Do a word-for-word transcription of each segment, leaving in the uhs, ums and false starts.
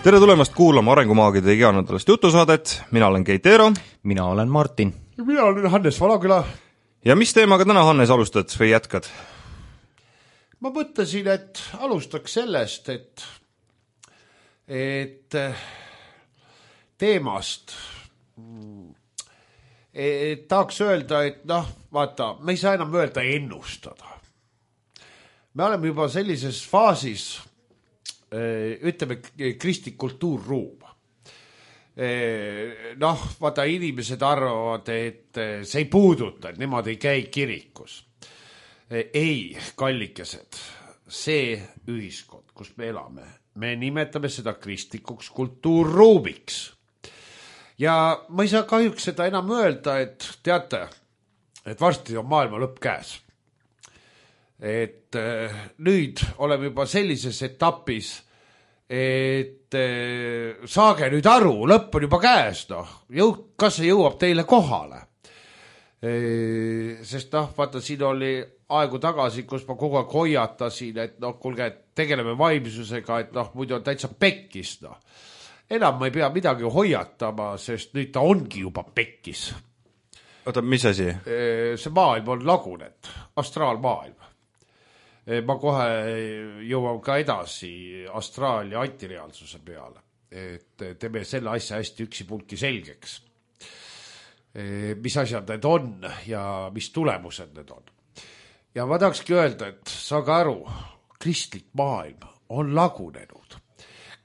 tere tulemast kuulama Arengumaagide iganädalast jutusaadet, mina olen Keit Eero. Mina olen Martin. Ja mina olen Hannes Valaküla. Ja mis teemaga täna, Hannes, alustad või jätkad? Ma mõtlesin, et alustaks sellest, et, et teemast et tahaks öelda, et noh, vaata, me ei saa enam öelda ennustada. Me oleme juba sellises faasis, ütleme, kristlik kultuurruum. Noh, vaata, inimesed arvavad, et see ei puuduta, et nemad ei käi kirikus. Ei, kallikesed, see ühiskond, kus me elame, me nimetame seda kristlikuks kultuurruumiks. Ja ma ei saa kahjuks seda enam öelda, et teate, et varsti on maailma lõpp käes. Et nüüd oleme juba sellises etapis, et saage nüüd aru, lõpp on juba käes, noh, jõu, kas see jõuab teile kohale? Sest noh, vaata, siin oli aegu tagasi, kus ma kogu aeg hoiatasin, et noh, kuulge, tegeleme vaimsusega, et noh, muidu on täitsa pekkis, noh. Enam ma ei pea midagi hoiatama, sest nüüd ta ongi juba pekkis. Oota, mis asi? See maailm on lagunet, astraalmaailm. Ma kohe jõuan ka edasi astraal- ja antireaalsuse peale, et teeme selle asja hästi üksi pulki selgeks. Mis asjad need on ja mis tulemused need on. Ja ma tahakski öelda, et saage aru, kristlik maailm on lagunenud.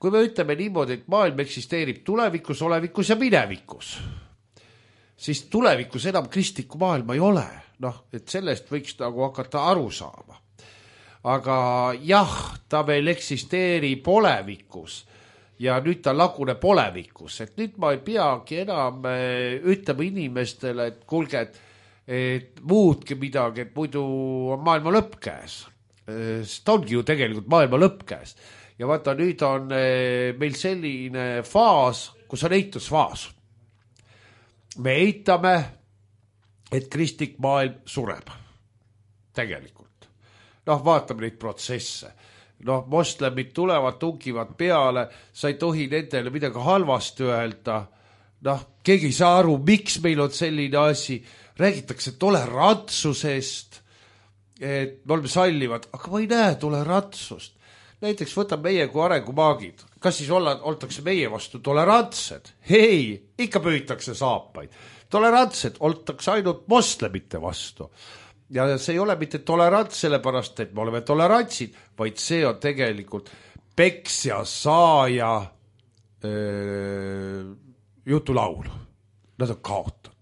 Kui me ütleme niimoodi, et maailm eksisteerib tulevikus, olevikus ja minevikus, siis tulevikus enam kristlikku maailma ei ole. Noh, et sellest võiks nagu hakata aru saama. Aga jah, ta veel eksisteerib olevikus ja nüüd ta laguneb olevikus. Et nüüd ma ei peagi enam ütlema inimestele, et kuulge, et, et muutke midagi, et muidu on maailma lõpp käes. Sest ongi ju tegelikult maailma lõpp käes. Ja vaata, nüüd on meil selline faas, kus on eitusfaas. Me eitame, et kristlik maailm sureb. Tegelikult. Noh, vaatame neid protsesse. Noh, moslemid tulevad, tungivad peale, sa ei tohi nendele midagi halvasti öelda. Noh, keegi ei saa aru, miks meil on selline asi. Räägitakse tolerantsusest, et me oleme sallivad, aga ma ei näe tolerantsust. Näiteks võtab meie kui arengumaagid. Kas siis olla, oltakse meie vastu tolerantsed? Hei, ikka püütakse saapaid. Tolerantsed oltakse ainult moslemite vastu. Ja see ei ole mitte tolerants sellepärast, et me oleme tolerantsid, vaid see on tegelikult peksja saaja öö, jutulaul. Nad on kaotatud.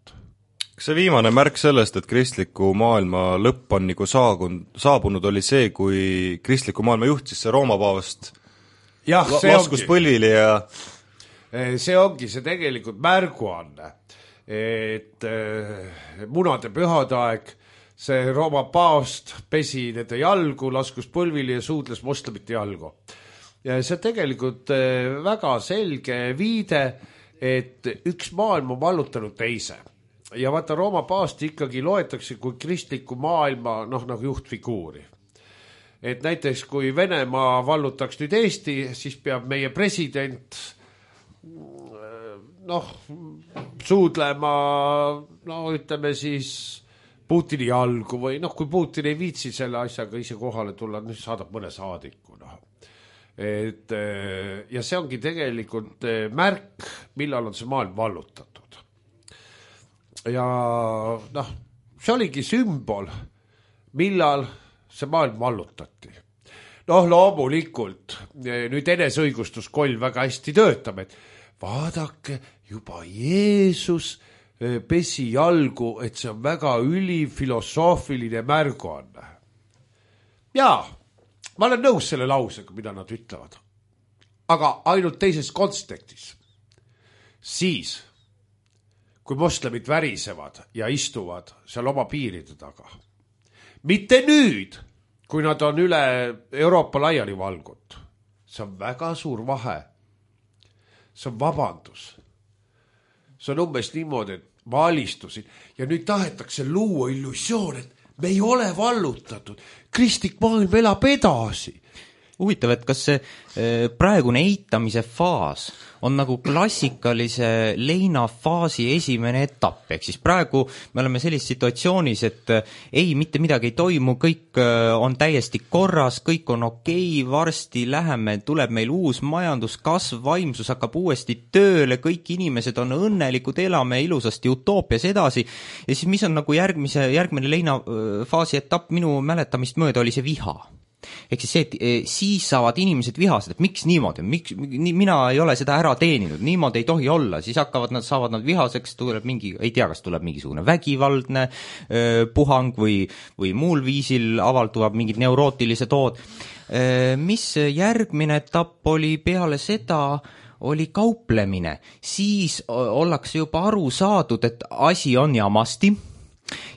Kas see viimane märk sellest, et kristliku maailma lõpp on nagu saabunud, saabunud oli see, kui kristliku maailma juhtis see Rooma paavast jah, see laskus ongi. Põlvili ja... See ongi see tegelikult märguanne, et öö, munade pühadaeg see Rooma paavst pesi nende jalgu, laskus põlvili ja suudles moslemite jalgu. Ja see on tegelikult väga selge viide, et üks maailm on vallutanud teise. Ja vaata, Rooma paavst ikkagi loetakse kui kristliku maailma noh, nagu juhtfiguuri. Et näiteks kui Venemaa vallutaks nüüd Eesti, siis peab meie president noh, suudlema, no ütleme siis Putini jalgu või noh, kui Putin ei viitsi selle asjaga ise kohale tulla, nüüd saadab mõne saadiku. No. Et, ja see ongi tegelikult märk, millal on see maailm vallutatud. Ja noh, see oligi sümbol, millal see maailm vallutati. Noh, loomulikult, nüüd enesõigustuskoll väga hästi töötab, et vaadake, juba Jeesus pesi jalgu, et see on väga ülifilosoofiline märguanne. Jaa, ma olen nõus selle lausega, mida nad ütlevad. Aga ainult teises kontekstis. Siis, kui moslemid värisevad ja istuvad seal oma piiride taga. Mitte nüüd, kui nad on üle Euroopa laiali valgut. See on väga suur vahe. See on vabandus. See on umbes niimoodi, et ma alistusin ja nüüd tahetakse luua illusioon, et me ei ole vallutatud. Kristlik maailm elab edasi. huvitav, et kas see praegune eitamise faas on nagu klassikalise leinafaasi esimene etapp, ehk siis praegu me oleme sellises situatsioonis, et ei, mitte midagi ei toimu, kõik on täiesti korras, kõik on okei, varsti läheme, tuleb meil uus majanduskasv, vaimsus hakkab uuesti tööle, kõik inimesed on õnnelikud, elame ilusasti utoopias edasi, ja siis mis on nagu järgmise, järgmine leinafaasi etapp minu mäletamist mööda oli see viha. Ehk siis see, et siis saavad inimesed vihased, et miks niimoodi, miks, mina ei ole seda ära teeninud, niimoodi ei tohi olla, siis hakkavad nad, saavad nad vihaseks, tuleb mingi, ei tea, kas tuleb mingisugune vägivaldne öö, puhang või, või muul viisil avalduvad mingid neurootilised ood. Mis järgmine etapp oli peale seda, oli kauplemine, siis ollakse juba aru saadud, et asi on jamasti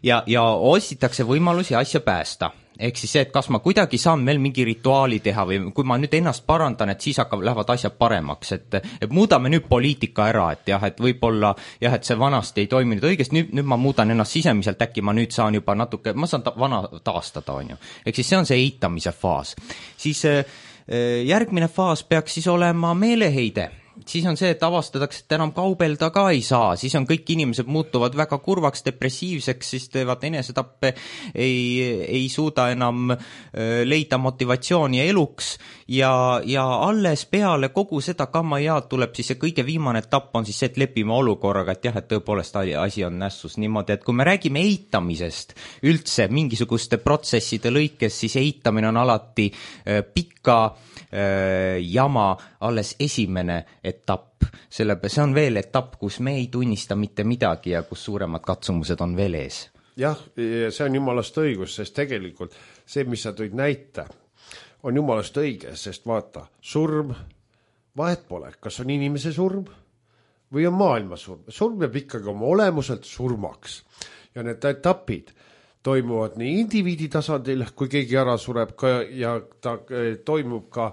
ja, ja otsitakse võimalusi asja päästa. Ehk siis see, et kas ma kuidagi saan veel mingi rituaali teha või kui ma nüüd ennast parandan, et siis hakkab, lähevad asjad paremaks, et, et muudame nüüd poliitika ära, et jah, et võib-olla jah, et see vanasti ei toiminud õigesti, nüüd, nüüd ma muudan ennast sisemiselt, äkki ma nüüd saan juba natuke, ma saan ta, vana taastada, on ju. Ehk siis see on see eitamise faas. Siis järgmine faas peaks siis olema meeleheide. Siis on see, et avastatakse, et enam kaubelda ka ei saa, siis on kõik inimesed muutuvad väga kurvaks, depressiivseks, siis teevad enesetappe, ei, ei suuda enam leida motivatsiooni eluks ja, ja alles peale kogu seda kammajaad tuleb siis see kõige viimane etapp on siis see, et lepime olukorraga, et jah, et tõepoolest asi on nässus niimoodi, et kui me räägime eitamisest üldse mingisuguste protsesside lõikes, siis eitamine on alati pikka jama alles esimene etapp. Selle, see on veel etapp, kus me ei tunnista mitte midagi ja kus suuremad katsumused on veel ees. Jah, see on jumalast õigus, sest tegelikult see, mis sa tõid näite, on jumalast õige, sest vaata, surm, vahet pole, kas on inimese surm või on maailma surm. Surm peab ikkagi oma olemuselt surmaks ja need etapid toimuvad nii indiviidi tasandil, kui keegi ära sureb ka, ja ta toimub ka,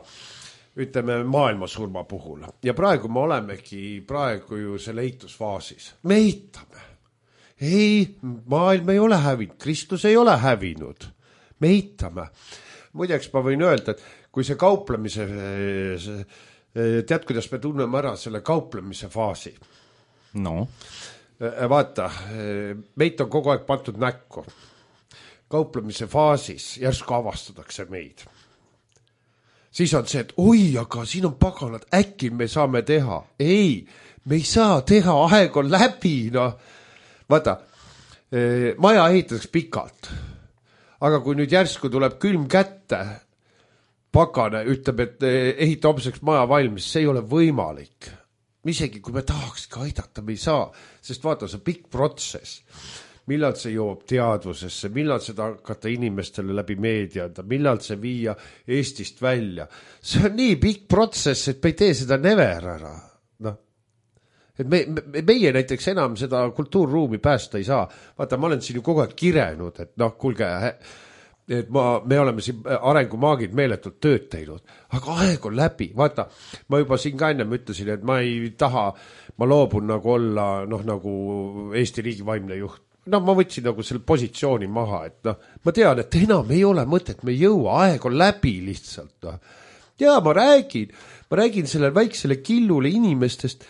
ütleme, maailmasurma puhul. Ja praegu me olemegi praegu ju selle eitusfaasis. Me eitame. Ei, maailm ei ole hävinud, Kristus ei ole hävinud. Me eitame. Muideks ma võin öelda, et kui see kauplemise, tead, kuidas me tunneme ära selle kauplemise faasi? No. Vaata, meid on kogu aeg pandud näkku. Kauplemise faasis järsku avastatakse meid. Siis on see, et oi, aga siin on paganad, äkki me saame teha. Ei, me ei saa teha, aeg on läbi. No. Vaata, maja ehitatakse pikalt. Aga kui nüüd järsku tuleb külm kätte, pagane ütleb, et ehita homseks maja valmis, see ei ole võimalik. Isegi kui me tahaks ka aidata, me ei saa, sest vaata, see pikk protsess. Millal see jõuab teadvusesse, millal seda hakata inimestele läbi meedia anda, millal see viia Eestist välja. See on nii pikk protsess, et me ei tee seda never ära. No. Et me, me, meie näiteks enam seda kultuurruumi päästa ei saa. Vaata, ma olen siin ju kogu aeg kirenud, et noh, kuulge, et ma, me oleme siin arengumaagid meeletult tööd teinud, aga aeg on läbi. Vaata, ma juba siin ka ennem ütlesin, et ma ei taha, ma loobun nagu olla noh, nagu Eesti riigi vaimne juht. No ma võtsin nagu selle positsiooni maha, et noh, ma tean, et enam ei ole mõtet, me ei jõua, aeg on läbi lihtsalt. No. Ja ma räägin, ma räägin sellele väiksele killule inimestest,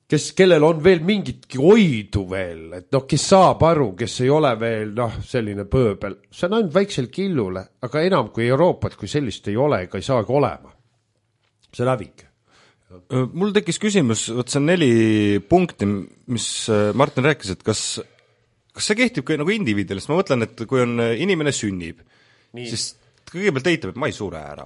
kes, kellel on veel mingitki oidu veel, et noh, kes saab aru, kes ei ole veel noh, selline pööbel. See on ainult väiksel killule, aga enam kui Euroopat, kui sellist ei ole, ega ei saagi olema. See lävik. Mul tekkis küsimus, võt see on neli punkti, mis Martin rääkis, et kas Kas see kehtib ka nagu indiviidile, sest ma mõtlen, et kui on inimene sünnib, nii. Siis kõigepealt eitab, et ma ei sure ära.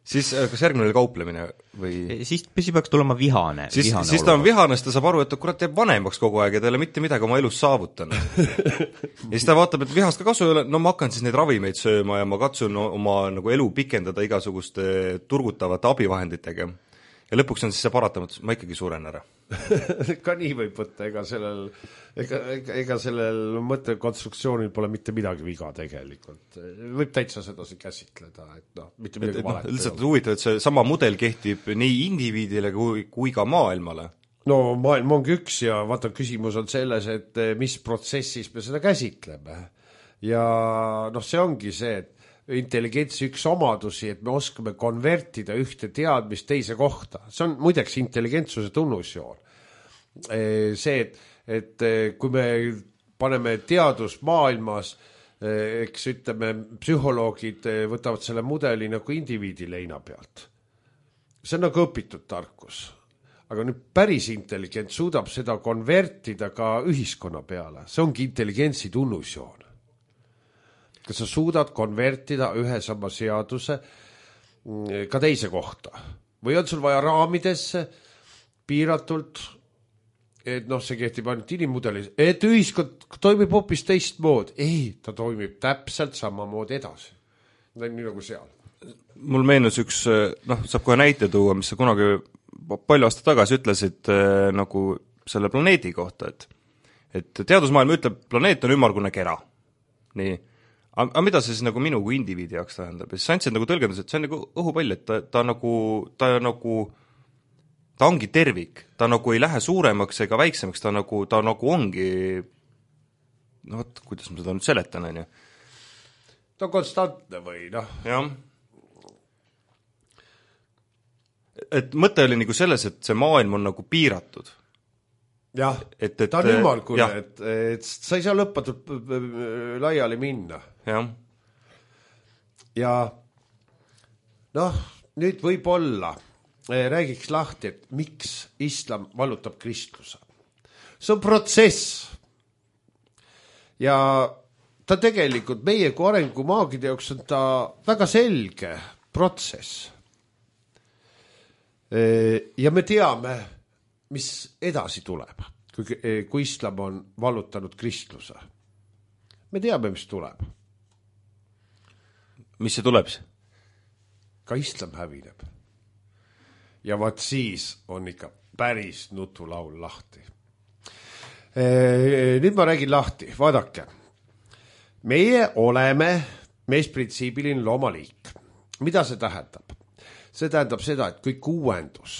Siis kas järgmine oli kauplemine või? Siis, siis peaks tulema vihane. Siis, vihane siis ta on vihane, sest ta saab aru, et kurat jääb vanemaks kogu aeg ja ta ei ole mitte midagi oma elus saavutanud. Ja siis ta vaatab, et vihast ka kasu ei ole, no ma hakkan siis neid ravimeid sööma ja ma katsun oma nagu elu pikendada igasuguste turgutavate abivahenditega. Ja lõpuks on siis see paratamatus, ma ikkagi suren ära. Ka nii võib võtta, ega sellel, ega, ega, ega sellel mõttekonstruktsioonil pole mitte midagi viga tegelikult. Võib täitsa seda see käsitleda, et noh, mitte midagi et, valet. No, lihtsalt huvitav, et see sama mudel kehtib nii indiviidile kui, kui ka maailmale. No maailm ongi üks ja vaata, küsimus on selles, et mis protsessis me seda käsitleme. Ja noh, see ongi see, et intelligentsi üks omadusi, et me oskame konvertida ühte teadmist teise kohta. See on muideks intelligentsuse tunnusjoon. See, et, et kui me paneme teadusmaailmas, eks ütleme, psühholoogid võtavad selle mudeli nagu indiviidi leina pealt. See on nagu õpitud tarkus. Aga nüüd päris intelligent suudab seda konvertida ka ühiskonna peale. See ongi intelligentsi tunnusjoon. Kas sa suudad konvertida ühe sama seaduse ka teise kohta? Või on sul vaja raamidesse piiratult, et noh, see kehtib ainult inimmudelis, et ühiskond toimib hoopis teistmoodi. Ei, ta toimib täpselt samamoodi edasi. Nii nagu seal. Mul meenus üks, noh, saab kohe näite tuua, mis sa kunagi palju aasta tagasi ütlesid nagu selle planeedi kohta, et, et teadusmaailm ütleb, planeet on ümmargune kera. Nii. Aga mida see siis nagu minu kui indiviidi jaoks tähendab? Ja siis sa andsid nagu tõlgendus, et see on nagu õhupall, et ta, ta nagu, ta nagu, ta ongi tervik, ta nagu ei lähe suuremaks ega väiksemaks, ta nagu, ta nagu ongi, no võt, kuidas ma seda nüüd seletan, on ju? Ta on konstantne või, noh? Jah. Et mõte oli nagu selles, et see maailm on nagu piiratud. Jah, et, et, ta on ümmargune, et, et sa ei saa lõpmatult laiali minna. Jah. Ja noh, nüüd võib-olla räägiks lahti, et miks islam vallutab kristluse. See on protsess. Ja ta tegelikult meie kui arengumaagide jaoks on ta väga selge protsess. Ja me teame, mis edasi tuleb, kui, kui islam on vallutanud kristluse. Me teame, mis tuleb. Mis see tuleb? Ka islam hävineb. Ja vaat siis on ikka päris nutulaul lahti. Nüüd ma räägin lahti, vaadake. Meie oleme meesprintsiibiline loomaliik. Mida see tähendab? See tähendab seda, et kõik uuendus,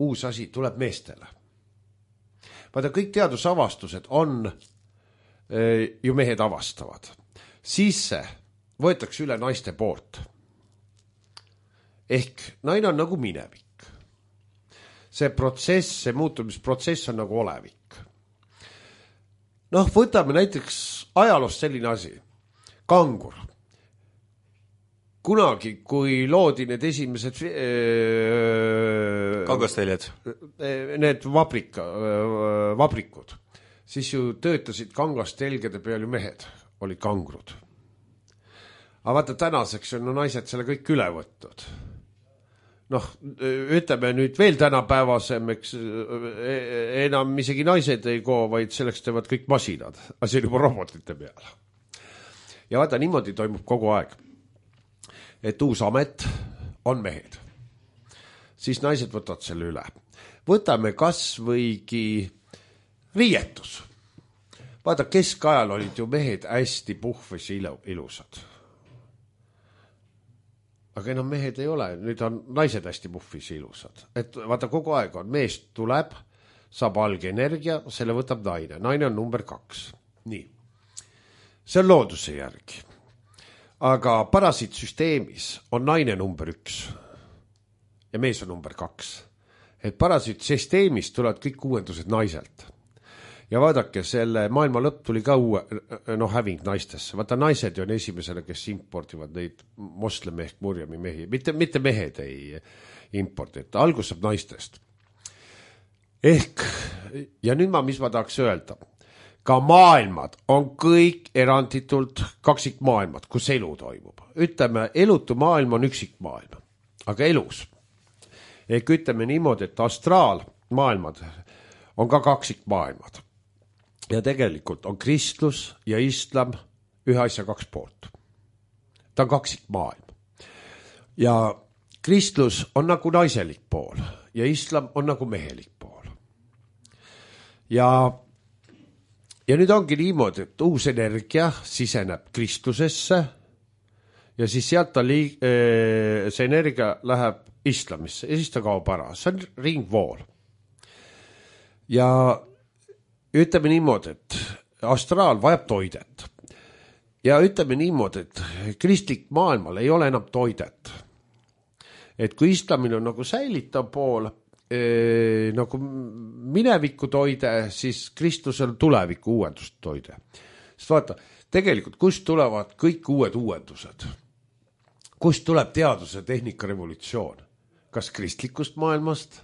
uus asi tuleb meestele. Vaata, kõik teadusavastused on e, ju mehed avastavad. Siis see võetakse üle naiste poolt. Ehk naine on nagu minevik. See protsess, see muutumisprotsess on nagu olevik. Noh, võtame näiteks ajaloost selline asi. Kangur. Kunagi, kui loodi need esimesed öö, kangasteljad, need vabrika, öö, vabrikud, siis ju töötasid kangastelgede peal ju mehed, olid kangrud. Aga vaata, tänaseks on no, naised selle kõik üle võtnud. Noh, ütleme nüüd veel tänapäevasem, eks enam isegi naised ei koo, vaid selleks teevad kõik masinad, asi juba robotite peal. Ja vaata, niimoodi toimub kogu aeg. Et uus amet on mehed. Siis naised võtavad selle üle. Võtame kas võigi riietus. Vaata, keskajal olid ju mehed hästi puhves ja ilusad. Aga enam mehed ei ole, nüüd on naised hästi puhvis ja ilusad. Et vaata, kogu aeg on, meest tuleb, saab alge energia, selle võtab naine. Naine on number kaks. Nii. See on looduse järgi. Aga parasiitsüsteemis on naine number üks ja mees on number kaks. Et parasiitsüsteemis tulevad kõik uuendused naiselt. Ja vaadake, selle maailma lõpp tuli ka uue, no, häving naistesse. Vaata, naised on esimesele, kes importivad neid moslemi ehk murjami mehi. Mitte, mitte mehed ei importi, et algus saab naistest. Ehk, ja nüüd ma, mis ma tahaks öelda, ka maailmad on kõik eranditult kaksikmaailmad, kus elu toimub. Ütleme, elutu maailm on üksikmaailm, aga elus. Ehk ütleme niimoodi, et astraalmaailmad on ka kaksikmaailmad. Ja tegelikult on kristlus ja islam ühe asja kaks poolt. Ta on kaksikmaailm. Ja kristlus on nagu naiselik pool ja islam on nagu mehelik pool. Ja Ja nüüd ongi niimoodi, et uus energia siseneb kristlusesse ja siis sealt ta liig, see energia läheb islamisse ja siis ta kaob ära. See on ringvool. Ja ütleme niimoodi, et astraal vajab toidet. ja ütleme niimoodi, et kristlik maailmal ei ole enam toidet. Et kui islamil on nagu säilitav pool, eh, nagu mineviku toide, siis kristlusel tuleviku uuendust toide. Sest vaata, tegelikult kust tulevad kõik uued uuendused? Kust tuleb teaduse tehnika revolutsioon? Kas kristlikust maailmast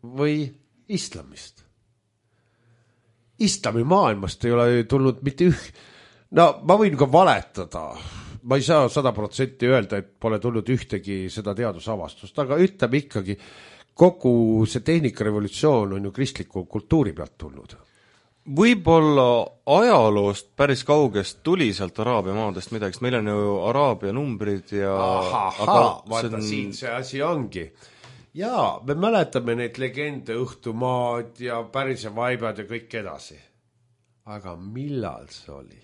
või islamist? Islami maailmast ei ole tulnud mitte üh... No ma võin ka valetada. Ma ei saa sada protsenti öelda, et pole tulnud ühtegi seda teadusavastust, aga ütleme ikkagi, kogu see tehnika revolutsioon on ju kristliku kultuuri pealt tulnud. Võib-olla ajaloost päris kaugest tuli sealt Araabia maadest midagi, meil on ju Araabia numbrid ja... Ahaha, vaata on... siin see asi ongi. Jaa, me mäletame neid legende, õhtumaad ja pärise vaibad ja kõik edasi. Aga millal see oli?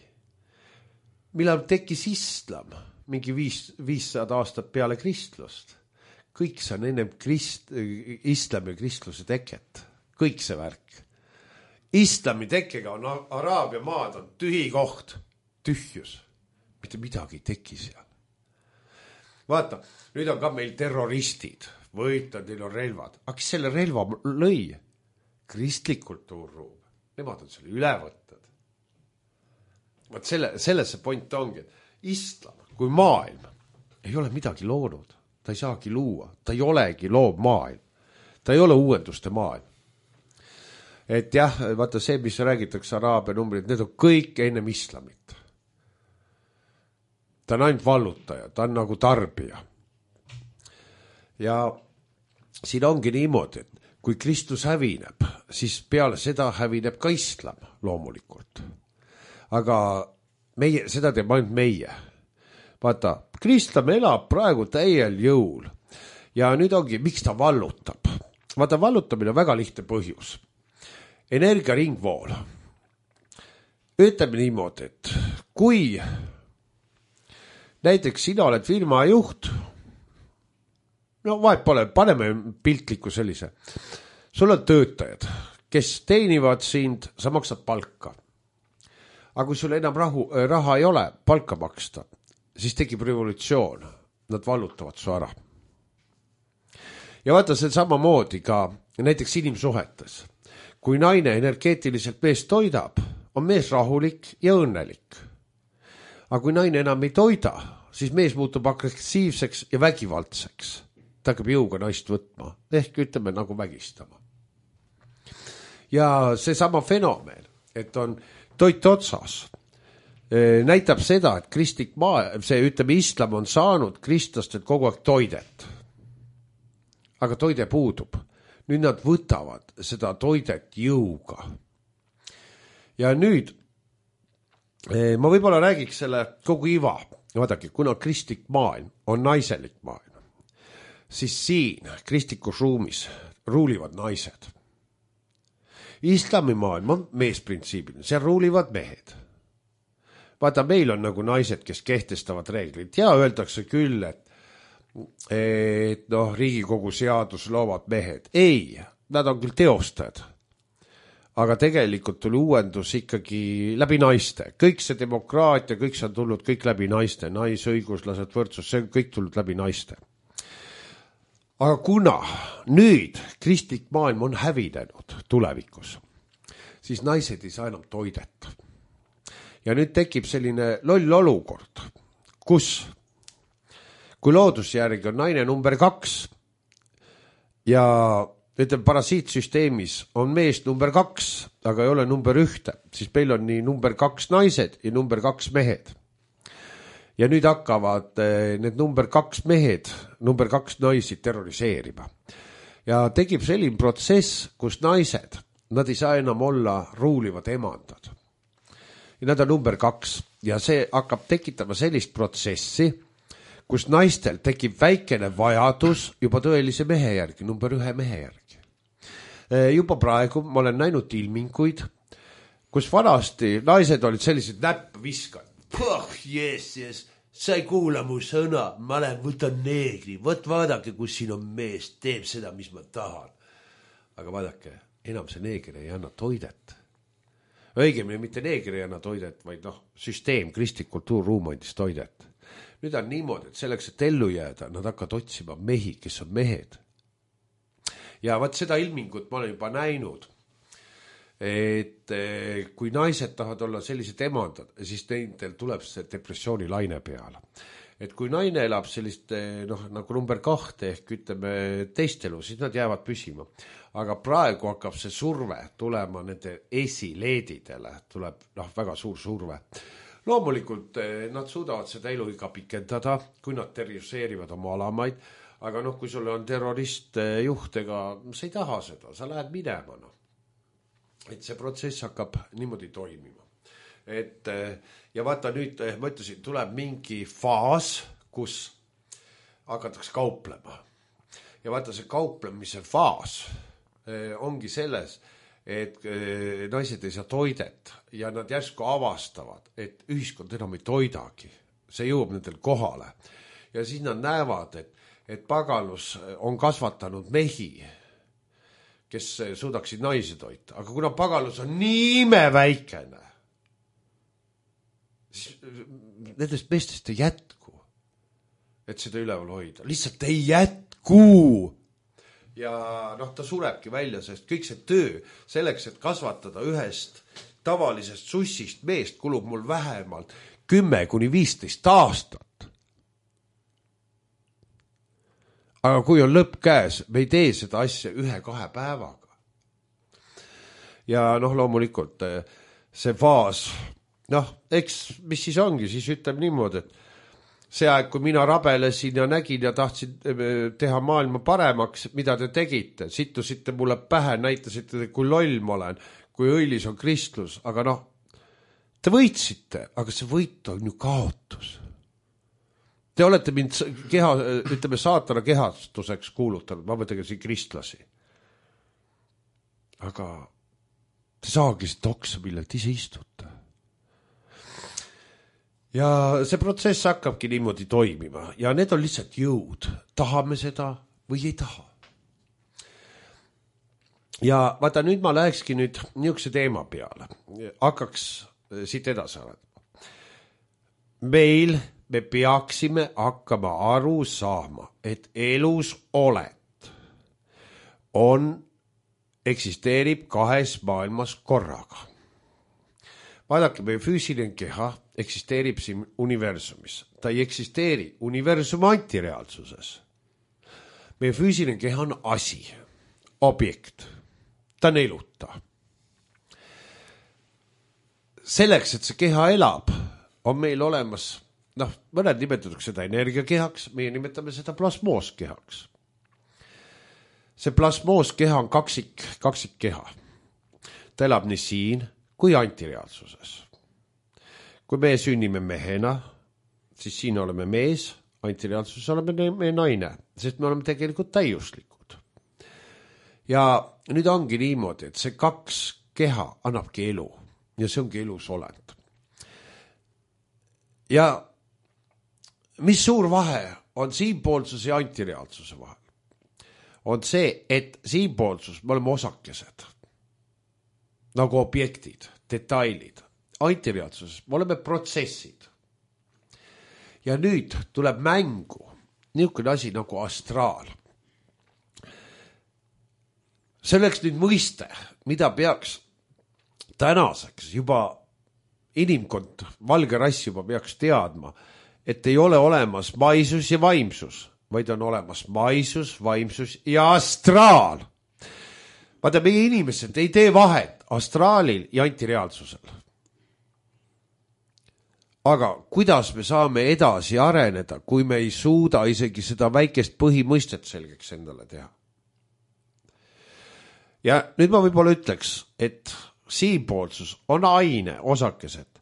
Millal tekkis islam? Mingi viis, viissada aastat peale kristlust. Kõik see on ennem krist, islami ja kristluse teket. Kõik see värk. Islami tekkega on Araabia maad on tühi koht, tühjus. Mitte midagi ei teki seal. Vaata, nüüd on ka meil terroristid, võitad, neil on relvad. Aga kes selle relva lõi? Kristlik kultuurruum. Nemad on selle ülevõtted. Vaat selle, selles see point ongi, et islam kui maailm ei ole midagi loonud. Ta ei saagi luua. Ta ei olegi loob maailm. Ta ei ole uuenduste maailm. Et jah, vaata see, mis räägitakse Araabia numbrid, need on kõik ennem islamit. Ta on ainult vallutaja, ta on nagu tarbija. Ja siin ongi niimoodi, et kui Kristus hävineb, siis peale seda hävineb ka islam loomulikult. Aga meie, seda teeb ainult meie. Vaata, Kristus elab praegu täiel jõul. Ja nüüd ongi, miks ta vallutab? Vaata, vallutamine on väga lihtne põhjus. Energia ringvool. Ütleme niimoodi, et kui näiteks sina oled firma juht, no vahet pole, paneme piltliku sellise. Sul on töötajad, kes teenivad sind, sa maksad palka. Aga kui sul enam rahu, raha ei ole palka maksta, siis tekib revolutsioon. Nad vallutavad su ära. Ja vaata see samamoodi ka näiteks inimsuhetes. Kui naine energeetiliselt mees toidab, on mees rahulik ja õnnelik. Aga kui naine enam ei toida, siis mees muutub agressiivseks ja vägivaldseks. Ta hakkab jõuga naist võtma, ehk ütleme nagu vägistama. Ja see sama fenomen, et on toit otsas, näitab seda, et kristlik maa, see ütleme islam on saanud kristlastelt kogu aeg toidet. Aga toide puudub. Nüüd nad võtavad seda toidet jõuga. Ja nüüd ma võib-olla räägiks selle kogu iva. Vaadake, kuna kristlik maailm on naiselik maailm, siis siin kristlikus ruumis ruulivad naised. Islami maailm on meesprintsiibiline, seal ruulivad mehed. Vaata, meil on nagu naised, kes kehtestavad reeglid ja öeldakse küll, et et noh, Riigikogu seadus loovad mehed. Ei, nad on küll teostajad. Aga tegelikult tuli uuendus ikkagi läbi naiste. Kõik see demokraatia, kõik see on tulnud kõik läbi naiste. Naisõiguslased, võrdsus, see on kõik tulnud läbi naiste. Aga kuna nüüd kristlik maailm on hävinenud tulevikus, siis naised ei saa enam toidet. Ja nüüd tekib selline loll olukord, kus kui loodusjärgi on naine number kaks ja ütleme, parasiitsüsteemis on mees number kaks, aga ei ole number ühte, siis meil on nii number kaks naised ja number kaks mehed. Ja nüüd hakkavad need number kaks mehed, number kaks naisi terroriseerima. Ja tekib selline protsess, kus naised, nad ei saa enam olla ruulivad emandad. Ja nad on number kaks ja see hakkab tekitama sellist protsessi, kus naistel tekib väikene vajadus juba tõelise mehe järgi, number ühe mehe järgi. Juba praegu ma olen näinud ilminguid, kus vanasti naised olid sellised näpp viskad. Puh, yes, yes, sa ei kuula mu sõna, ma lähen võtan neegri, võt vaadake, kus siin on mees, teeb seda, mis ma tahan. Aga vaadake, enam see neeger ei anna toidet. õigemini mitte neegri enna toidet, vaid noh, süsteem, kristlik kultuurruum andis toidet. Nüüd on niimoodi, et selleks, et ellu jääda, nad hakkavad otsima mehi, kes on mehed. Ja vaat seda ilmingut ma olen juba näinud, et kui naised tahavad olla sellised emandad, siis neil tuleb see depressiooni laine peale. Et kui naine elab sellist noh, nagu number kahte ehk ütleme teist elu, siis nad jäävad püsima. Aga praegu hakkab see surve tulema nende esileedidele, tuleb noh, väga suur surve. Loomulikult nad suudavad seda elu iga pikendada, kui nad terroriseerivad oma alamaid, aga noh, kui sul on terrorist juhtega, sa ei taha seda, sa lähed minema. No. Et see protsess hakkab niimoodi toimima. Et, ja vaata nüüd, ma ütlesin, tuleb mingi faas, kus hakatakse kauplema. Ja vaata see kauplemise faas ongi selles, et naised ei saa toidet ja nad järsku avastavad, et ühiskond enam ei toidagi. See jõuab nendel kohale. Ja siis nad näevad, et, et pagalus on kasvatanud mehi, kes suudaksid naisi toita. Aga kuna pagalus on nii imeväikene, siis nendest meestest ei jätku, et seda üleval hoida. Lihtsalt ei jätku. Ja noh, ta surebki välja, sest kõik see töö selleks, et kasvatada ühest tavalisest sussist meest, kulub mul vähemalt kümme kuni viisteist aastat. Aga kui on lõpp käes, me ei tee seda asja ühe-kahe päevaga. Ja noh, loomulikult see faas, noh, eks mis siis ongi, siis ütleb niimoodi, et see aeg, kui mina rabelesin ja nägin ja tahtsin teha maailma paremaks, mida te tegite, sittusite mulle pähe, näitasite, kui loll ma olen, kui õilis on kristlus, aga noh, te võitsite, aga see võit on ju kaotus. Te olete mind keha, ütleme, saatana kehastuseks kuulutanud, ma mõtlen siin kristlasi. Aga te saagi see toksa, millelt ise istute. Ja see protsess hakkabki niimoodi toimima ja need on lihtsalt jõud. Tahame seda või ei taha. Ja vaata, nüüd ma lähekski nüüd niisuguse teema peale. Hakkaks siit edasi arendama. Meil me peaksime hakkama aru saama, et elus oled on, eksisteerib kahes maailmas korraga. Vaadake, meie füüsiline keha eksisteerib siin universumis. Ta ei eksisteeri universumi antireaalsuses. Meie füüsiline keha on asi, objekt. Ta on eluta. Selleks, et see keha elab, on meil olemas noh, mõned nimetatakse seda energiakehaks, meie nimetame seda plasmooskehaks. See plasmooskeha on kaksik, kaksik keha. Ta elab nii siin kui antireaalsuses. Kui me sünnime mehena, siis siin oleme mees, antireaalsuses oleme me naine, sest me oleme tegelikult täiuslikud. Ja nüüd ongi niimoodi, et see kaks keha annabki elu ja see ongi elus olend. Ja mis suur vahe on siinpoolsuse ja antireaalsuse vahel? On see, et siinpoolsus me oleme osakesed, nagu objektid, detailid. Antireaalsuses me oleme protsessid. Ja nüüd tuleb mängu niisugune asi nagu astraal. Selleks nüüd mõiste, mida peaks tänaseks juba inimkond, valge rass juba peaks teadma, et ei ole olemas maisus ja vaimsus, vaid on olemas maisus, vaimsus ja astraal. Vaata, meie inimesed ei tee vahet astraalil ja antireaalsusel. Aga kuidas me saame edasi areneda, kui me ei suuda isegi seda väikest põhimõistet selgeks endale teha? Ja nüüd ma võib-olla ütleks, et siinpoolsus on aine, osakesed,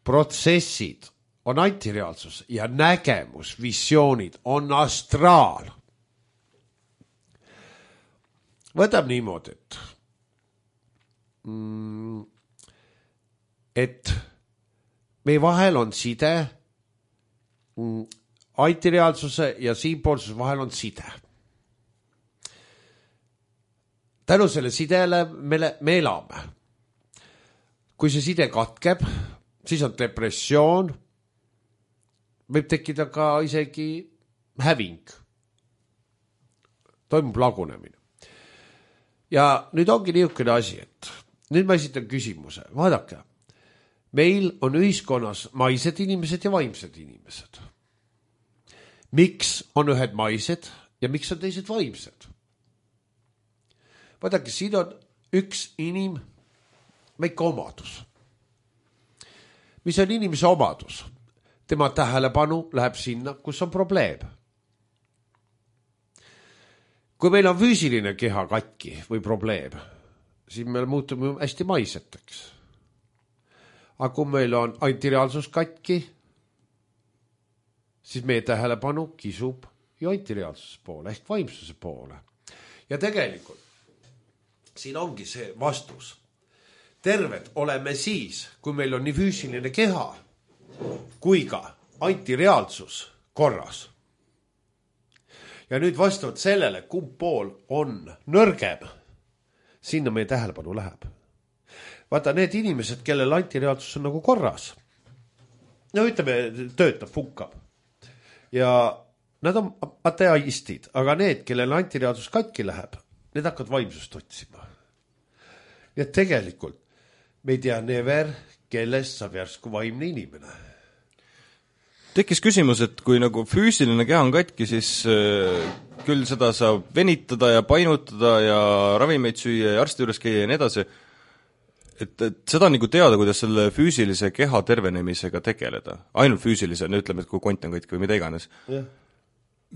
protsessid on antireaalsus ja nägemus, visioonid on astraal. Võtab niimoodi, et, mm, et meie vahel on side, mm, antireaalsuse ja siinpoolsuse vahel on side. Tänu selle sidele me, me elame. kui see side katkeb, siis on depressioon, võib tekkida ka isegi häving. Toimub lagunemine. Ja nüüd ongi niisugune asi, et nüüd ma esitan küsimuse. Vaadake, meil on ühiskonnas maised inimesed ja vaimsed inimesed. Miks on ühed maised ja miks on teised vaimsed? Vaadake, siin on üks inim väike omadus. Mis on inimese omadus? Tema tähelepanu läheb sinna, kus on probleem. Kui meil on füüsiline keha katki või probleem, siis me muutume hästi maiseteks. Aga kui meil on antireaalsus katki, siis meie tähelepanu kisub ju antireaalsuse poole ehk vaimsuse poole. Ja tegelikult siin ongi see vastus. Terved oleme siis, kui meil on nii füüsiline keha kui ka antireaalsus korras. Ja nüüd vastavalt sellele, kumb pool on nõrgem, sinna meie tähelepanu läheb. Vaata, need inimesed, kellel antireaalsus on nagu korras, no ütleme, töötab, funkab. Ja nad on ateistid, aga need, kellel antireaalsus katki läheb, need hakkavad vaimsust otsima. Ja tegelikult me ei tea never, kellest saab järsku vaimne inimene. Tekkis küsimus, et kui nagu füüsiline keha on katki, siis äh, küll seda saab venitada ja painutada ja ravimeid süüa ja arsti juures käia ja nii edasi. Et, et seda on nagu teada, kuidas selle füüsilise keha tervenemisega tegeleda. Ainult füüsilise, ütleme, et kui kont on katki või mida iganes. Ja.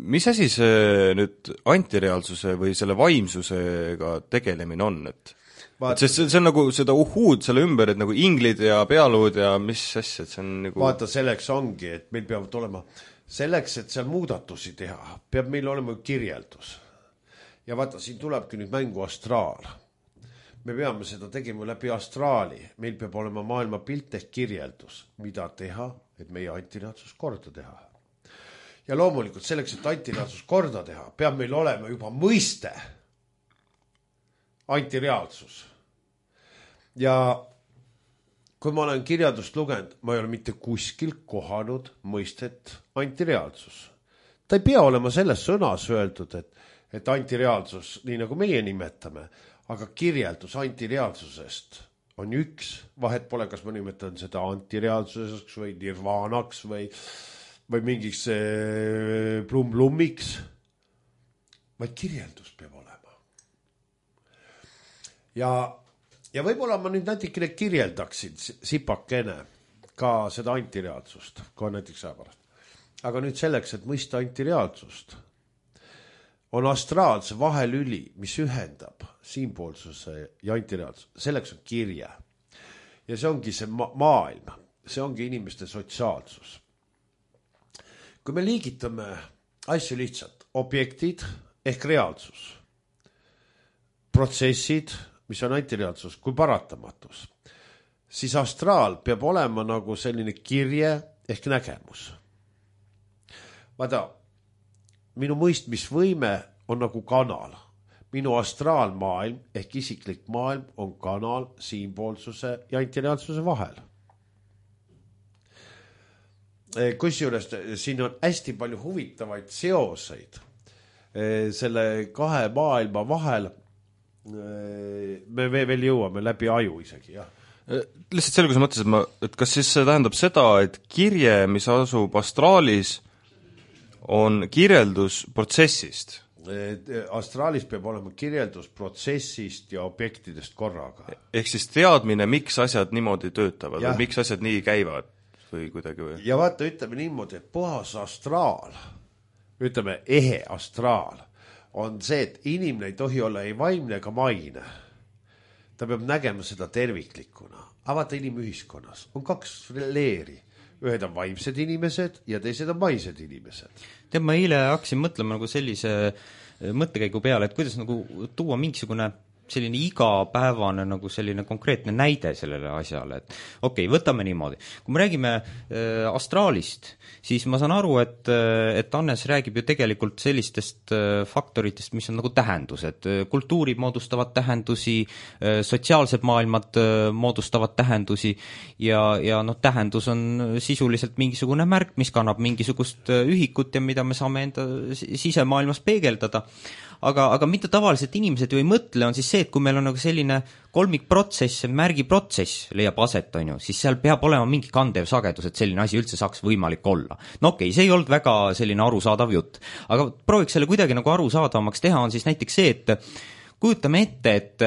Mis asi see nüüd antireaalsuse või selle vaimsusega tegelemine on? Et, et sest see, see on nagu seda uhuud selle ümber, et nagu inglid ja pealuud ja mis asja, et see on nagu... Vaata, selleks ongi, et meil peavad olema, selleks, et seal muudatusi teha, peab meil olema kirjeldus. Ja vaata, siin tulebki nüüd mängu astraal. Me peame seda tegema läbi astraali. Meil peab olema maailma pilt ehk kirjeldus, mida teha, et meie antireaalsus korda teha. Ja loomulikult selleks, et antireaalsus korda teha, peab meil olema juba mõiste antireaalsus. Ja kui ma olen kirjandust lugenud, ma ei ole mitte kuskil kohanud mõistet antireaalsus. Ta ei pea olema selles sõnas öeldud, et, et antireaalsus, nii nagu meie nimetame, aga kirjeldus antireaalsusest on üks. Vahet pole, kas ma nimetan seda antireaalsuseks või nirvaanaks või, või mingiks plum-plummiks, vaid kirjeldus peab olema. Ja Ja võib-olla ma nüüd natikene kirjeldaksin sipakene ka seda antireaalsust, kui on näiteks ajapärast. Aga nüüd selleks, et mõista antireaalsust, on astraalse vahelüli, mis ühendab siinpoolsuse ja antireaalsuse. Selleks on kirje. Ja see ongi see ma- maailm. See ongi inimeste sotsiaalsus. Kui me liigitame asju lihtsalt, objektid ehk reaalsus, protsessid, mis on antireaalsus, kui paratamatus, siis astraal peab olema nagu selline kirje ehk nägemus. Vaata, minu mõistmisvõime on nagu kanal. Minu astraalmaailm ehk isiklik maailm on kanal siinpoolsuse ja antireaalsuse vahel. Kusjuures siin on hästi palju huvitavaid seoseid selle kahe maailma vahel. Me veel jõuame läbi aju isegi, jah. Lihtsalt selgus mõttes, et, ma, et kas siis see tähendab seda, et kirje, mis asub astraalis, on kirjeldus protsessist? Astraalis peab olema kirjeldus protsessist ja objektidest korraga. Ehk siis teadmine, miks asjad niimoodi töötavad, ja. Või miks asjad nii käivad või kuidagi või? Ja vaata, ütleme niimoodi, et puhas astraal, ütleme ehe astraal, on see, et inimene ei tohi olla ei vaimne ega maine. Ta peab nägema seda terviklikuna. Avata inimühiskonnas on kaks leeri. Ühed on vaimsed inimesed ja teised on maised inimesed. Tead, ma eile hakkasin mõtlema nagu sellise mõttekäigu peale, et kuidas nagu tuua mingisugune selline igapäevane nagu selline konkreetne näide sellele asjale, et okei okay,, võtame niimoodi. Kui me räägime äh, astraalist, siis ma saan aru, et, et Hannes räägib ju tegelikult sellistest äh, faktoritest, mis on nagu tähendused. Kultuurid moodustavad tähendusi, äh, sotsiaalsed maailmad äh, moodustavad tähendusi ja, ja noh, tähendus on sisuliselt mingisugune märk, mis kannab mingisugust ühikut ja mida me saame enda sisemaailmas peegeldada. Aga, aga mida tavaliselt inimesed ju ei mõtle, on siis see, et kui meil on nagu selline kolmikprotsess, märgiprotsess leiab aset, on ju, siis seal peab olema mingi kandev sagedus, et selline asi üldse saaks võimalik olla. No okei, see ei olnud väga selline arusaadav jutt, aga prooviks selle kuidagi nagu arusaadavamaks teha, on siis näiteks see, et kujutame ette, et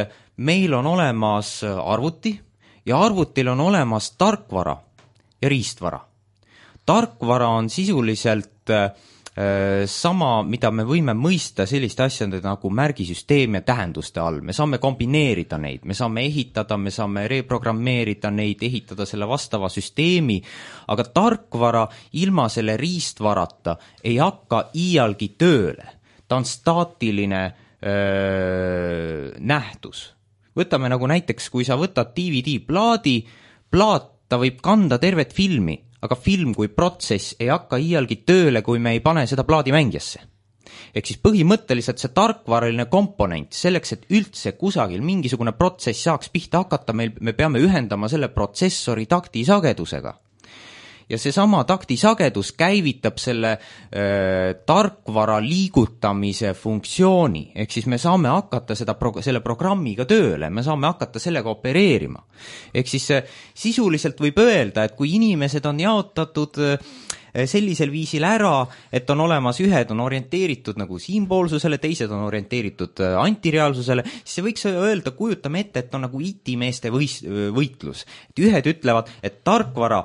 meil on olemas arvuti ja arvutil on olemas tarkvara ja riistvara. Tarkvara on sisuliselt sama, mida me võime mõista selliste asjade nagu märgisüsteem ja tähenduste all. Me saame kombineerida neid, me saame ehitada, me saame reprogrammeerida neid, ehitada selle vastava süsteemi, aga tarkvara ilma selle riistvarata ei hakka iialgi tööle. Ta on staatiline öö, nähtus. Võtame nagu näiteks, kui sa võtad D V D-plaadi, plaat, ta võib kanda tervet filmi, aga film kui protsess ei hakka iialgi tööle, kui me ei pane seda plaadimängijasse. Ehk siis põhimõtteliselt see tarkvaraline komponent, selleks, et üldse kusagil mingisugune protsess saaks pihta hakata, meil, me peame ühendama selle protsessori taktisagedusega. Ja see sama taktisagedus käivitab selle äh, tarkvara liigutamise funktsiooni, ehk siis me saame hakata seda pro- selle programmiga tööle, me saame hakata sellega opereerima. Ehk siis äh, sisuliselt võib öelda, et kui inimesed on jaotatud äh, sellisel viisil ära, et on olemas ühed on orienteeritud nagu siinpoolsusele, teised on orienteeritud antireaalsusele, siis see võiks öelda, kujutame ette, et on nagu itimeeste võis, võitlus. Et ühed ütlevad, et tarkvara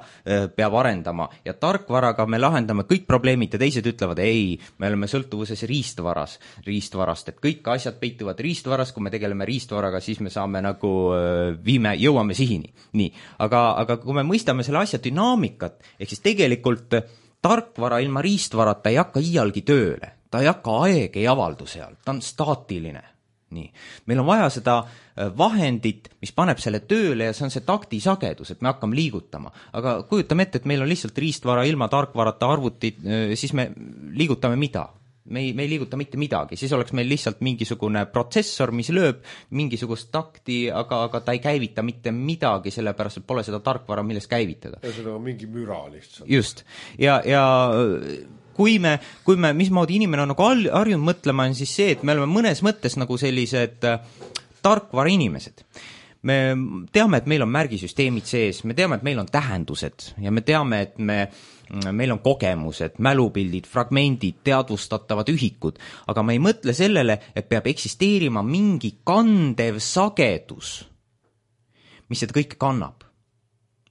peab arendama ja tarkvaraga me lahendame kõik probleemid ja teised ütlevad, ei, me oleme sõltuvuses riistvaras, riistvarast, et kõik asjad peituvad riistvaras, kui me tegeleme riistvaraga, siis me saame nagu viime, jõuame sihini. Nii, aga, aga kui me mõistame selle asja dünaamikat, ehk siis tegelikult tarkvara ilma riistvarata ei hakka iialgi tööle, ta ei hakka aeg ei avaldu seal, ta on staatiline. Nii. Meil on vaja seda vahendit, mis paneb selle tööle ja see on see taktisagedus, et me hakkame liigutama. Aga kujutame ette, et meil on lihtsalt riistvara ilma tarkvarata arvutid, siis me liigutame mida? Me ei, me ei liiguta mitte midagi, siis oleks meil lihtsalt mingisugune protsessor, mis lööb mingisugust takti, aga, aga ta ei käivita mitte midagi, sellepärast et pole seda tarkvara, millest käivitada. Ja seda on mingi müra lihtsalt. Just. Ja, ja kui me, kui me, mismoodi inimene on nagu harjunud mõtlema, on siis see, et me oleme mõnes mõttes nagu sellised tarkvara inimesed. Me teame, et meil on märgisüsteemid sees, me teame, et meil on tähendused ja me teame, et me meil on kogemused, mälupildid, fragmendid, teadvustatavad ühikud, aga me ei mõtle sellele, et peab eksisteerima mingi kandev sagedus, mis seda kõike kannab,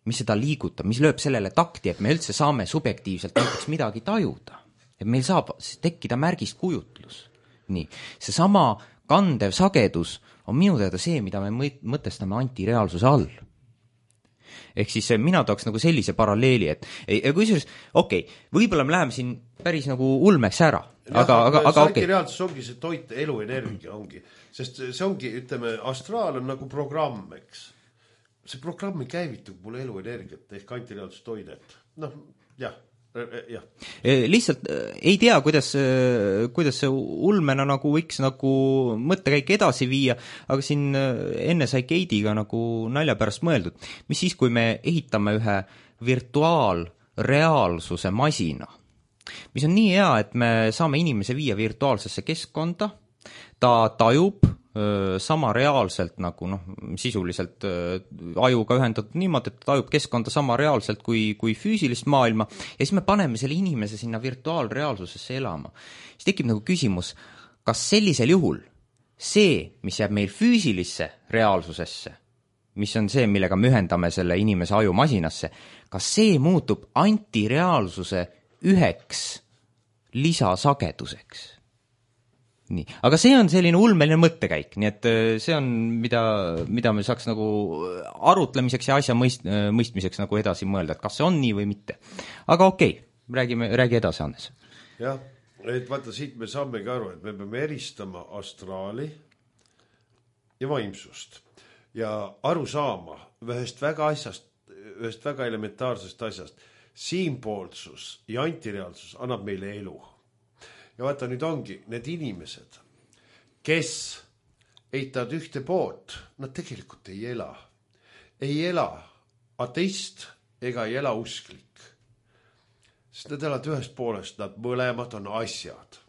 mis seda liigutab, mis lööb sellele takti, et me üldse saame subjektiivselt näiteks midagi tajuda, et meil saab tekkida märgist kujutlus. Nii, see sama kandev sagedus on minu teada see, mida me mõtestame antireaalsuse all. Ehk siis mina tooks nagu sellise paralleeli, et kui siis, okei, okay, võib-olla me läheme siin päris nagu ulmeks ära, aga, aga, aga, aga okei. Reaalsus ongi see toit, eluenergia ongi, sest see ongi, ütleme, astraal on nagu programm, eks. See programm ei käivitu mul eluenergiat ehk antireaalsus toidet. Noh, jah. Ja. Lihtsalt ei tea, kuidas, kuidas see ulmena nagu võiks nagu mõttekäik edasi viia, aga siin enne sai Keidiga nagu nalja pärast mõeldud. Mis siis, kui me ehitame ühe virtuaalreaalsuse masina, mis on nii hea, et me saame inimese viia virtuaalsesse keskkonda, ta tajub sama reaalselt nagu noh, sisuliselt ajuga ühendatud niimoodi, et ta tajub keskkonda sama reaalselt kui, kui füüsilist maailma ja siis me paneme selle inimese sinna virtuaalreaalsusesse elama. Siis tekib nagu küsimus, kas sellisel juhul see, mis jääb meil füüsilisse reaalsusesse, mis on see, millega me ühendame selle inimese aju masinasse, kas see muutub antireaalsuse üheks lisasageduseks? Nii. Aga see on selline ulmeline mõttekäik, nii et see on, mida, mida me saaks nagu arutlemiseks ja asja mõist, mõistmiseks nagu edasi mõelda, et kas see on nii või mitte. Aga okei, räägime, räägi edasi, Hannes. Jah, et vaata, siit me saamegi aru, et me peame eristama astraali ja vaimsust ja aru saama ühest väga asjast, ühest väga elementaarsest asjast. Siinpoolsus ja antireaalsus annab meile elu. Ja vaata, nüüd ongi need inimesed, kes eitavad ühte poolt, nad tegelikult ei ela. Ei ela ateist ega ei ela usklik. Sest nad elavad ühest poolest, nad mõlemad on asjad.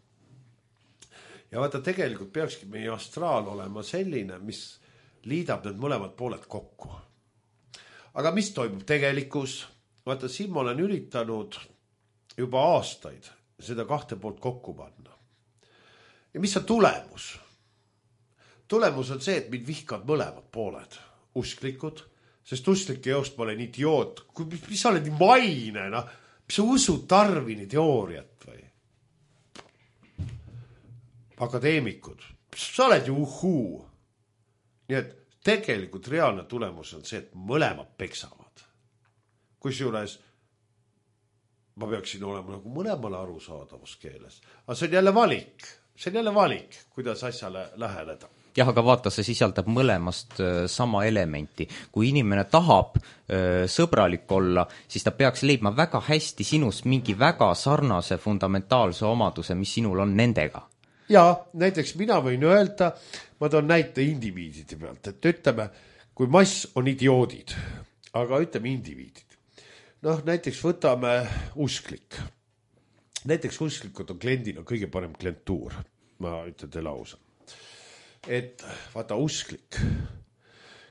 Ja vaata, tegelikult peakski meie astraal olema selline, mis liidab need mõlemad pooled kokku. Aga mis toimub tegelikus? Vaata, siin ma olen üritanud juba aastaid seda kahte poolt kokku panna. Ja mis on tulemus? Tulemus on see, et mind vihkavad mõlemad pooled. Usklikud, sest usklike joost ma olen idioot. Mis, mis sa oled nii maine, no? Mis sa usud Darwini teooriat või? Akadeemikud, sa oled ju uhuu. Nii et tegelikult reaalne tulemus on see, et mõlemad peksavad. Kusjuures ma peaksin olema nagu mõlemale arusaadavas keeles. Aga see on jälle valik. See on jälle valik, kuidas asjale läheneda. Jah, aga vaata, see sisaldab mõlemast sama elementi. Kui inimene tahab öö, sõbralik olla, siis ta peaks leidma väga hästi sinust mingi väga sarnase fundamentaalse omaduse, mis sinul on nendega. Ja näiteks mina võin öelda, ma toon näite indiviidide pealt, et ütleme, kui mass on idioodid, aga ütleme indiviidid. Noh, näiteks võtame usklik. Näiteks usklikud on kliendina kõige parem klientuur. Ma ütlen teile ausa. Et vaata usklik,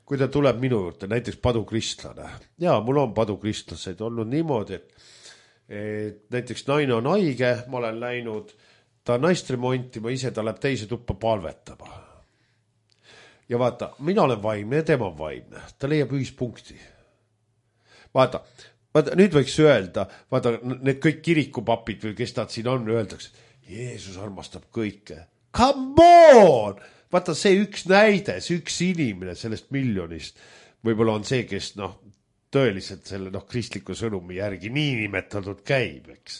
kui ta tuleb minu juurde, näiteks padukristlane. Ja, mul on padukristlaseid olnud niimoodi, et, et näiteks naine on haige, ma olen läinud ta naist remontima, ise ta läheb teise tuppa palvetama. Ja vaata, mina olen vaimne ja tema on vaimne. Ta leiab ühispunkti. Vaata, vaata, nüüd võiks öelda, vaata, need kõik kirikupapid või kes nad siin on, öeldakse, Jeesus armastab kõike. Come on! Vaata, see üks näide, see üks inimene sellest miljonist, võib-olla on see, kes noh, tõeliselt selle noh, kristliku sõnumi järgi nii nimetatud käib, eks.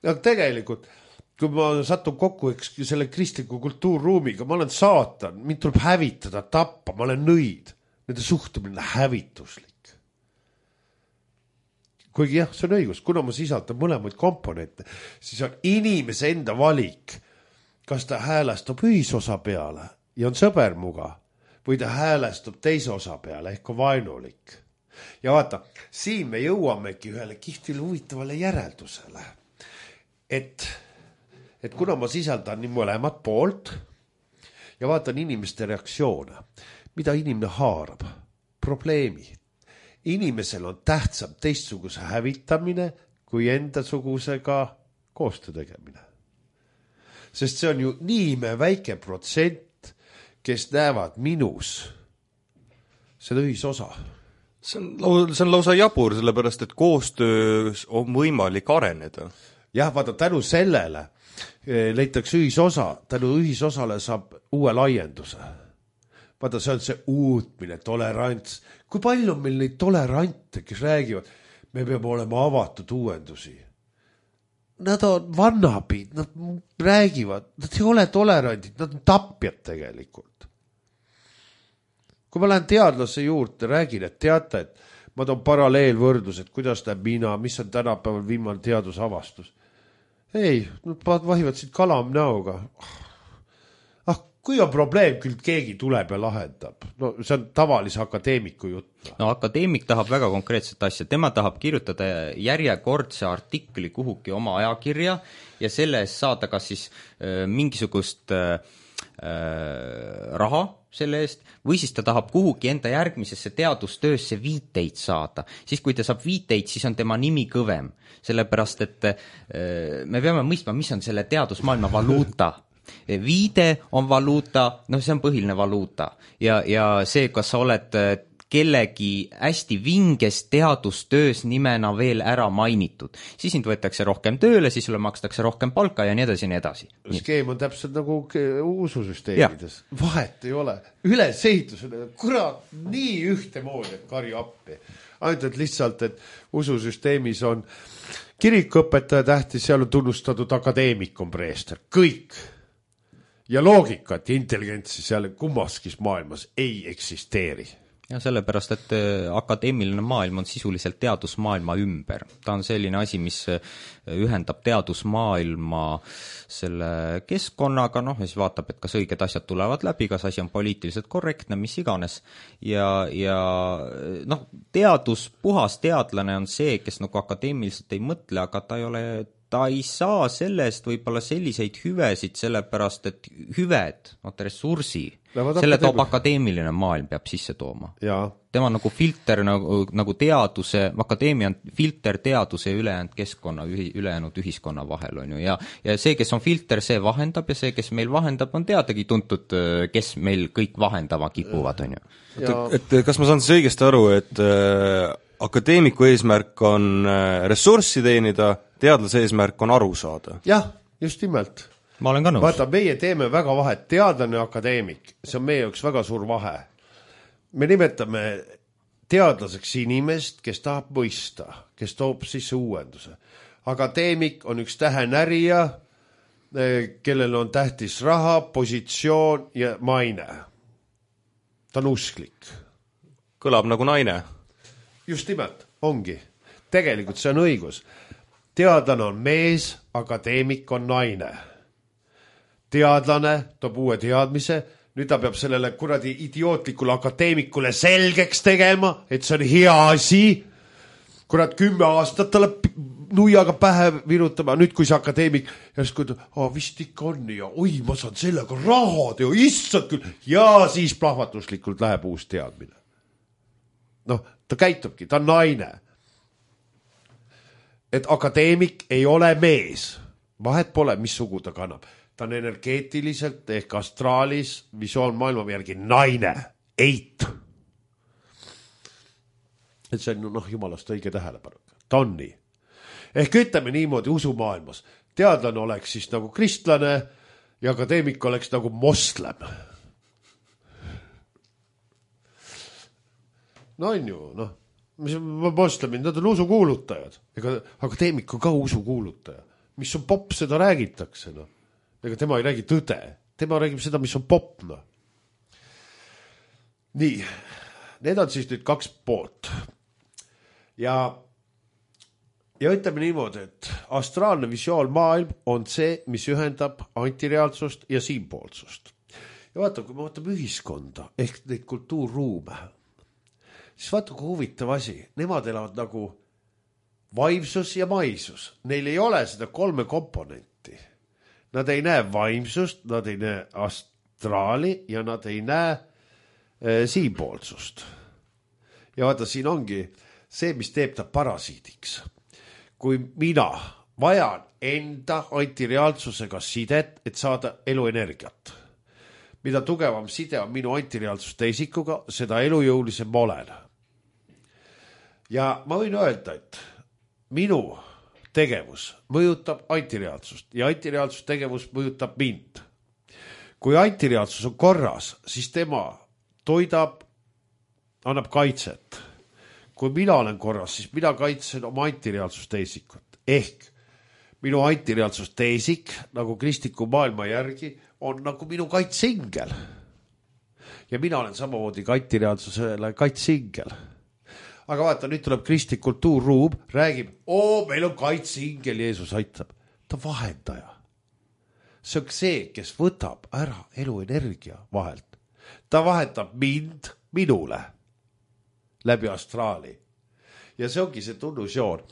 Ja tegelikult, kui ma satun kokku eks, selle kristliku kultuurruumiga, ma olen saatan, mind tuleb hävitada, tappa, ma olen nõid. Nende suhtumine hävituslik. Kuigi jah, see on õigus, kuna ma sisaldan mõlemaid komponente, siis on inimese enda valik, kas ta häälestub ühisosa peale ja on sõber muga või ta häälestub teise osa peale ehk on vaenulik. Ja vaata, siin me jõuamegi ühele kihvile huvitavale järeldusele, et, et kuna ma sisaldan nii mõlemad poolt ja vaatan inimeste reaktsioone, mida inimene haarab, probleemi. Inimesel on tähtsam teistsuguse hävitamine kui endasugusega koostöö tegemine. Sest see on ju nii me väike protsent, kes näevad minus seda ühisosa. See on, see on lausa jabur, sellepärast, et koostöös on võimalik areneda. Jah, vaata, tänu sellele leitakse ühisosa, tänu ühisosale saab uue laienduse. Vaata, see on see uutmine, tolerants. Kui palju on meil neid tolerante, kes räägivad, me peame olema avatud uuendusi. Nad on vannapid, nad räägivad, nad ei ole tolerandid, nad on tapjad tegelikult. Kui ma lähen teadlase juurde, räägin, et teate, et ma toon paralleelvõrdlus, et kuidas näeb mina, mis on tänapäeval viimane teadusavastus. Ei, nad vahivad siit kalam näoga. Ah, kui on probleem, küll keegi tuleb ja lahendab. No see on tavalise akadeemiku jutt. No akadeemik tahab väga konkreetset asja. Tema tahab kirjutada järjekordse artikli kuhugi oma ajakirja ja selle eest saada kas siis äh, mingisugust äh, raha selle eest või siis ta tahab kuhugi enda järgmisesse teadustöösse viiteid saada. Siis kui ta saab viiteid, siis on tema nimi kõvem. Sellepärast, et äh, me peame mõistma, mis on selle teadusmaailma valuuta. Viide on valuuta, no see on põhiline valuuta ja, ja see, kas sa oled kellegi hästi vinges teadustöös nimena veel ära mainitud, siis sind võetakse rohkem tööle, siis sulle makstakse rohkem palka ja nii edasi, nii edasi. Skeem on täpselt nagu ususüsteemides. Ja. Vahet ei ole. Ülesehitus on kurat nii ühte moodi, et karju appi. Ainult, et lihtsalt, et ususüsteemis on kirikuõpetaja tähtis, seal on tunnustatud akadeemik on preester. Kõik. ja loogikat ja intelligentsi seal kummaskis maailmas ei eksisteeri. Ja sellepärast, et akadeemiline maailm on sisuliselt teadusmaailma ümber. Ta on selline asi, mis ühendab teadusmaailma selle keskkonnaga, noh, ja siis vaatab, et kas õiged asjad tulevad läbi, kas asi on poliitiliselt korrektne, mis iganes. Ja, ja noh, teadus, puhas teadlane on see, kes nagu akadeemiliselt ei mõtle, aga ta ei ole ta ei saa sellest võib-olla selliseid hüvesid, sellepärast, et hüved, no ressursi, selle toob akadeemiline maailm peab sisse tooma. Ja. Tema on nagu filter, nagu, nagu teaduse, akadeemia on filter teaduse ja ülejäänud keskkonna, ülejäänud ühiskonna vahel on ju, ja, ja see, kes on filter, see vahendab ja see, kes meil vahendab, on teadagi tuntud, kes meil kõik vahendama kipuvad, on ju. Et, et kas ma saan siis õigesti aru, et äh, akadeemiku eesmärk on äh, ressurssi teenida, teadlase eesmärk on aru saada. Jah, just nimelt. Ma olen ka nõus. Vaata, meie teeme väga vahet, teadlane ja akadeemik, see on meie jaoks väga suur vahe. Me nimetame teadlaseks inimest, kes tahab mõista, kes toob sisse uuenduse. Akadeemik on üks tähenärija, kellel on tähtis raha, positsioon ja maine. Ta on usklik. Kõlab nagu naine. Just nimelt, ongi. Tegelikult see on õigus. Teadlane on mees, akadeemik on naine. Teadlane toob uue teadmise, nüüd ta peab sellele kuradi idiootlikule akadeemikule selgeks tegema, et see on hea asi. Kurat kümme aastat talle nuiaga pähe virutama, nüüd kui see akadeemik järsku ütleb, oh, vist ikka on ja oi, ma saan sellega raha teo, issand küll, ja siis plahvatuslikult läheb uus teadmine. Noh, ta käitubki, ta on naine. Et akadeemik ei ole mees. Vahet pole, mis sugu ta kannab. Ta on energeetiliselt ehk astraalis visuaalmaailma järgi naine. Eit. Et see on noh, jumalast õige tähelepanu. Ta on nii. Ehk ütleme niimoodi usumaailmas. Teadlane oleks siis nagu kristlane ja akadeemik oleks nagu moslem. No on ju, noh. Mis moslemid, nad on usukuulutajad. Ega akadeemik on ka usukuulutaja. Mis on popp, seda räägitakse. No. Ega tema ei räägi tõde. Tema räägib seda, mis on popp. No. Nii, need on siis nüüd kaks poolt. Ja, ja ütleme niimoodi, et astraalne visuaalmaailm on see, mis ühendab antireaalsust ja siinpoolsust. Ja vaata, kui me vaatame ühiskonda ehk neid kultuurruume, siis vaata, kui huvitav asi. Nemad elavad nagu vaimsus ja maisus. Neil ei ole seda kolme komponenti. Nad ei näe vaimsust, nad ei näe astraali ja nad ei näe e, siinpoolsust. Ja vaata, siin ongi see, mis teeb ta parasiidiks. Kui mina vajan enda antireaalsusega sidet, et saada eluenergiat. Mida tugevam side on minu antireaalsuste isikuga, seda elujõulisem ma olen. Ja ma võin öelda, et minu tegevus mõjutab antireaalsust ja antireaalsus tegevus mõjutab mind. Kui antireaalsus on korras, siis tema toidab, annab kaitset. Kui mina olen korras, siis mina kaitsen oma antireaalsuste isikut. Ehk minu antireaalsuste isik, nagu kristliku maailma järgi, on nagu minu kaitseingel. Ja mina olen samamoodi antireaalsusele kaitseingel. Aga vaata, nüüd tuleb kristlik kultuurruum, räägib, oo, meil on kaitseingel, Jeesus aitab. Ta vahendaja. See on see, kes võtab ära eluenergia vahelt. Ta vahetab mind minule läbi astraali. Ja see ongi see tunnusjoon.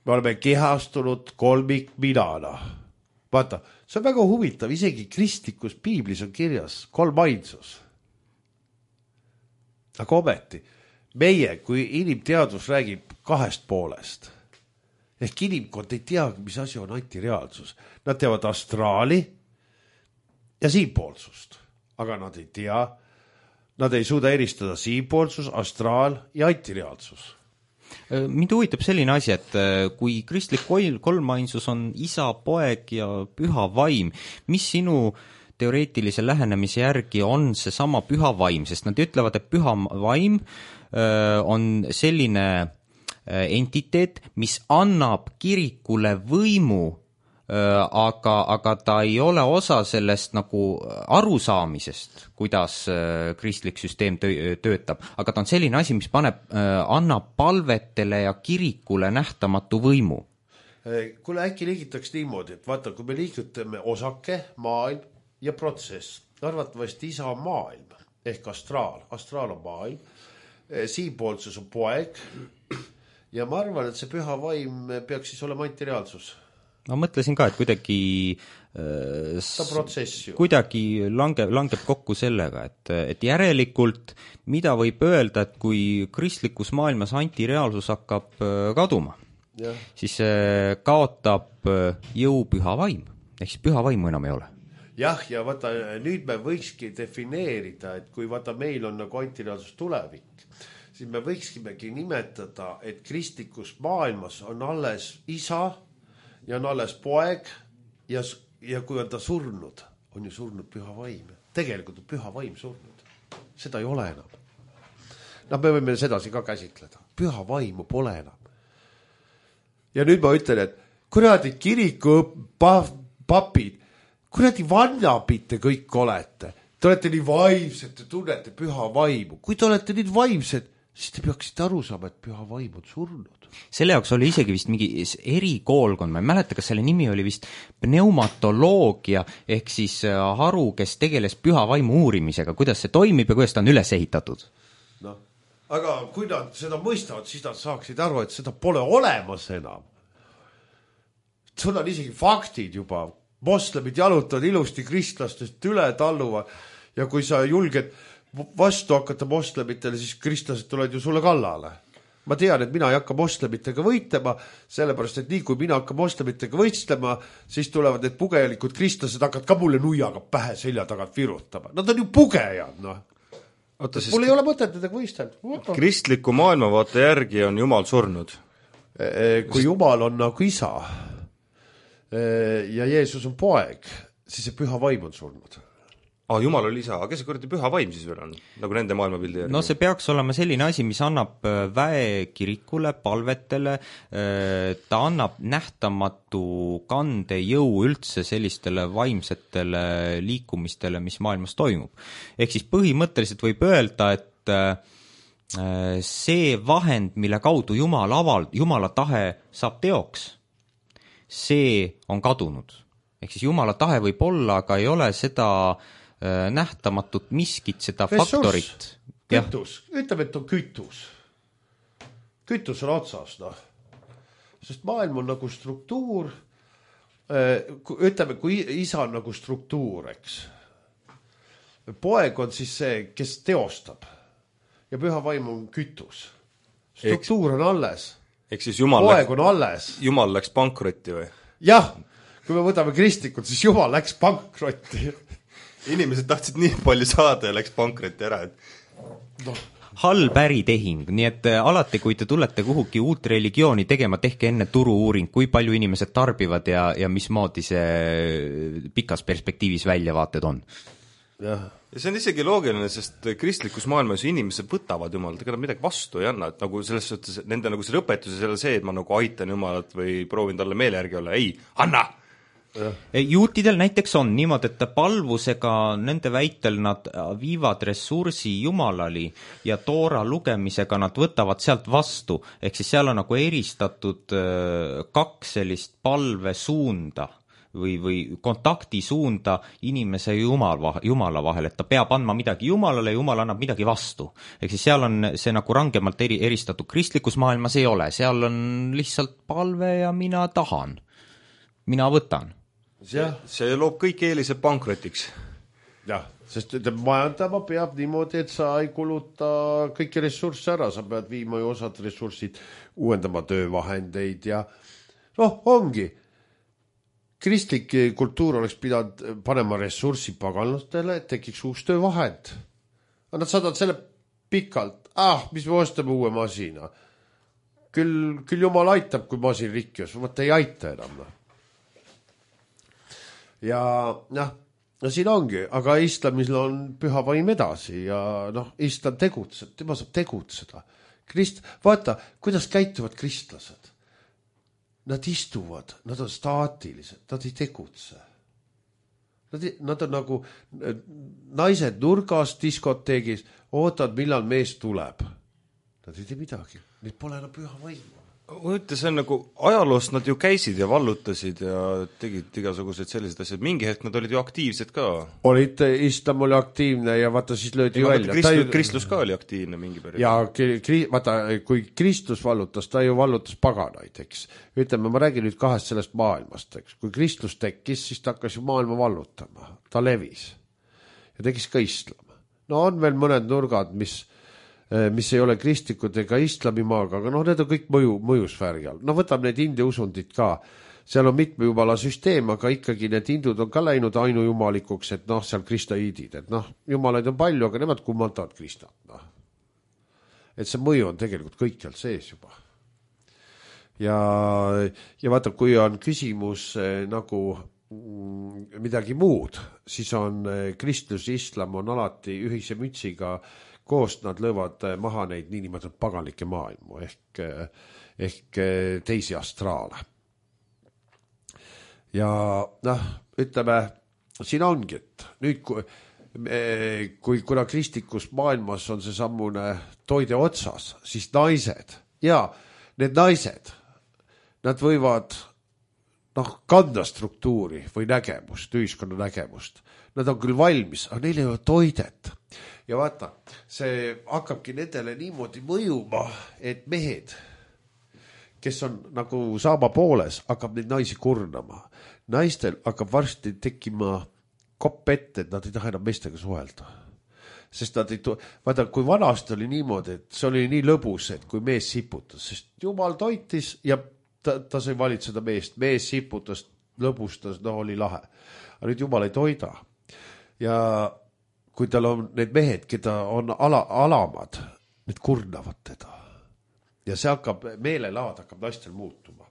Me oleme kehastunud kolmik minana. Vaata, see on väga huvitav, isegi kristlikus piiblis on kirjas kolm ainsus. Aga ometi, meie, kui inimteadus räägib kahest poolest, ehk inimkond ei tea, mis asi on antireaalsus. Nad teavad astraali ja siinpoolsust, aga nad ei tea, nad ei suuda eristada siinpoolsus, astraal ja antireaalsus. Mind huvitab selline asi, et kui kristlik kolmainsus on isa, poeg ja püha vaim, mis sinu teoreetilise lähenemise järgi on see sama püha vaim, sest nad ütlevad, et püha vaim on selline entiteet, mis annab kirikule võimu aga, aga ta ei ole osa sellest nagu arusaamisest, kuidas kristlik süsteem töötab, aga ta on selline asi, mis paneb, annab palvetele ja kirikule nähtamatu võimu. Kuule, äkki liigitaks niimoodi, et vaata, kui me liigutame osake, maailm ja protsess, arvatavasti isa on maailm ehk astraal, astraal on maailm, siinpoolsus on poeg ja ma arvan, et see püha vaim peaks siis olema antireaalsus. Ma mõtlesin ka, et kuidagi äh, kuidagi langeb, langeb kokku sellega, et, et järelikult mida võib öelda, et kui kristlikus maailmas antireaalsus hakkab kaduma, ja. siis kaotab jõu püha vaim, ehk siis püha vaimu enam ei ole. Jah, ja vaata, nüüd me võikski defineerida, et kui vaata meil on nagu antireaalsus tulevik, siis me võikskimegi nimetada, et kristlikus maailmas on alles isa ja on alles poeg ja, ja kui on ta surnud, on ju surnud püha vaim. Tegelikult on püha vaim surnud. Seda ei ole enam. No me võime sedasi ka käsitleda. Püha vaimu pole enam. Ja nüüd ma ütlen, et kuradi kiriku papid, kuradi vannapite kõik olete. Te olete nii vaimsed, te tunnete püha vaimu. Kui te olete nii vaimsed, siis te peaksite aru saama, et püha vaim on surnud. Selle jaoks oli isegi vist mingi erikoolkond, ma ei mäleta, kas selle nimi oli vist pneumatoloogia, ehk siis haru, kes tegeles püha vaimu uurimisega, kuidas see toimib ja kuidas ta on üles ehitatud. No, aga kui nad seda mõistavad, siis nad saaksid aru, et seda pole olemas enam. Sul on isegi faktid juba. Moslemid jalutavad ilusti kristlastest üle talluva ja kui sa julged vastu hakata moslemitele, siis kristlased tulevad ju sulle kallale. Ma tean, et mina ei hakka moslemitega võitlema, sellepärast, et nii kui mina hakka moslemitega võistlema, siis tulevad need pugelikud kristlased hakkavad ka mulle nuiaga pähe selja tagant virutama. Nad on ju pugejad, noh. Oota, mul ei ole mõtet nendega võistelda. Kristliku maailmavaate järgi on Jumal surnud. Kui Jumal on nagu isa ja Jeesus on poeg, siis see püha vaim on surnud. Ah, Jumal oli isa, aga kes see kuradi püha vaim siis veel on, nagu nende maailmapildi järgi? No see peaks olema selline asi, mis annab väekirikule, palvetele, ta annab nähtamatu kande jõu üldse sellistele vaimsetele liikumistele, mis maailmas toimub. Ehk siis põhimõtteliselt võib öelda, et see vahend, mille kaudu Jumal avald, Jumala tahe saab teoks, see on kadunud. Ehk siis Jumala tahe võib olla, aga ei ole seda nähtamatut miskit, seda ressurss, faktorit. Kütus, ütleme, et on kütus. Kütus on otsas, noh. Sest maailm on nagu struktuur, ütleme, kui isa on nagu struktuur, eks. Poeg on siis see, kes teostab. Ja püha vaim on kütus. Struktuur on alles. Ehk siis Jumal, poeg on alles. Jumal läks pankrotti või? Jah, kui me võtame kristlikult, siis Jumal läks pankrotti. Inimesed tahtsid nii palju saada ja läks pankrotti ära, et no. Halb äritehing, nii et alati, kui te tulete kuhugi uut religiooni tegema, tehke enne turu-uuring, kui palju inimesed tarbivad ja, ja mismoodi see pikas perspektiivis väljavaated on. Ja. ja see on isegi loogiline, sest kristlikus maailmas inimesed võtavad Jumalat, ega nad midagi vastu ei anna, et nagu selles suhtes, nende nagu see õpetus ei ole see, et ma nagu aitan Jumalat või proovin talle meele järgi olla, ei, anna! Ja. Juutidel näiteks on niimoodi, et palvusega nende väitel nad viivad ressursi Jumalali ja Toora lugemisega nad võtavad sealt vastu, ehk siis seal on nagu eristatud kaks sellist palvesuunda või, või kontaktisuunda inimese ja Jumala, Jumala vahel, et ta peab andma midagi Jumalale ja Jumal annab midagi vastu. Ehk siis seal on see nagu rangemalt eri, eristatud, kristlikus maailmas ei ole, seal on lihtsalt palve ja mina tahan, mina võtan. See, see loob kõik eelised pankrotiks. Jah, sest majandama peab niimoodi, et sa ei kuluta kõiki ressursse ära, sa pead viima ju osad ressursid, uuendama töövahendeid ja noh, ongi. Kristlik kultuur oleks pidanud panema ressurssi paganlastele, et tekiks uus töövahend. Nad saadavad selle pikalt, ah, mis me ostame uue masina. Küll, küll Jumal aitab, kui masin rikkjus, võtta ei aita enam. Ja noh, no siin ongi, aga islamil on püha vaim edasi ja noh, islam tegutseb, tema saab tegutseda. Krist, vaata, kuidas käituvad kristlased. nad istuvad, nad on staatilised, nad ei tegutse. Nad, nad on nagu naised nurgas diskoteegis, ootavad, millal mees tuleb. Nad ei tee midagi, neid pole enam püha vaimu. Mõte, see on nagu ajaloost nad ju käisid ja vallutasid ja tegid igasuguseid sellised asjad. Mingi hetk nad olid ju aktiivsed ka. Olid, islam oli aktiivne ja vaata siis löödi ja välja. Kristus, ju... Kristus ka oli aktiivne mingi periood. Ja kri... vaata, kui Kristus vallutas, ta ju vallutas paganaid, eks. Ütleme, ma räägin nüüd kahest sellest maailmast, eks. Kui Kristus tekkis, siis ta hakkas ju maailma vallutama. Ta levis. Ja tekkis ka islam. No on veel mõned nurgad, mis... mis ei ole kristlikud ega islamimaaga, aga noh, need on kõik mõju, mõjusfääri all. No võtab need India usundid ka. Seal on mitme jumala süsteem, aga ikkagi need hindud on ka läinud ainujumalikuks, et noh, seal kristaiidid, et noh, jumalaid on palju, aga nemad kummaldavad kristat. Noh. Et see mõju on tegelikult kõikjal sees juba. Ja, ja vaata, kui on küsimus eh, nagu mm, midagi muud, siis on eh, kristlus, islam on alati ühise mütsiga koost nad löövad maha neid niinimetatud paganlikke maailmu ehk, ehk teisi astraale. Ja noh, ütleme, siin ongi, et nüüd kui, kui kuna kristlikus maailmas on see sammune toide otsas, siis naised, ja need naised, nad võivad noh, kanda struktuuri või nägemust, ühiskonna nägemust. Nad on küll valmis, aga neil ei ole toidet. Ja vaata, see hakkabki nendele niimoodi mõjuma, et mehed, kes on nagu saama pooles, hakkab neid naisi kurnama. Naistel hakkab varsti tekkima kopp ette, et nad ei taha enam meestega suhelda. Sest nad ei tu... vaata, kui vanasti oli niimoodi, et see oli nii lõbus, et kui mees siputas, sest jumal toitis ja ta, ta sai valitseda meest. Mees siputas, lõbustas, no oli lahe. Aga nüüd jumal ei toida. Ja kui tal on need mehed, keda on ala, alamad, need kurnavad teda. Ja see hakkab, meelelaad hakkab naistel muutuma.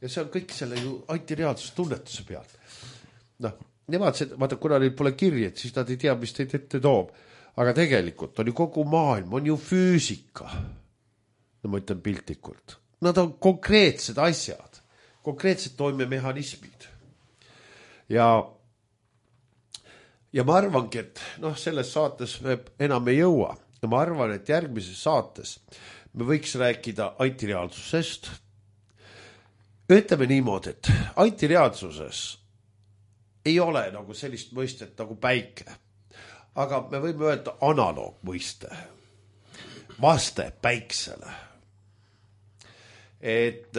Ja see on kõik selle ju antireaalsuse tunnetuse pealt. Noh, nemad, see, vaata, kuna neil pole kirjed, siis nad ei tea, mis teid ette toob. Aga tegelikult on ju kogu maailm, on ju füüsika. No ma ütlen piltlikult. Nad on konkreetsed asjad, konkreetsed toimemehhanismid. Ja Ja ma arvangi, et noh, selles saates me enam ei jõua. Ja ma arvan, et järgmises saates me võiks rääkida antireaalsusest. Ütleme niimoodi, et antireaalsuses ei ole nagu sellist mõistet nagu päike. Aga me võime öelda analoog mõiste. Vaste päiksele. Et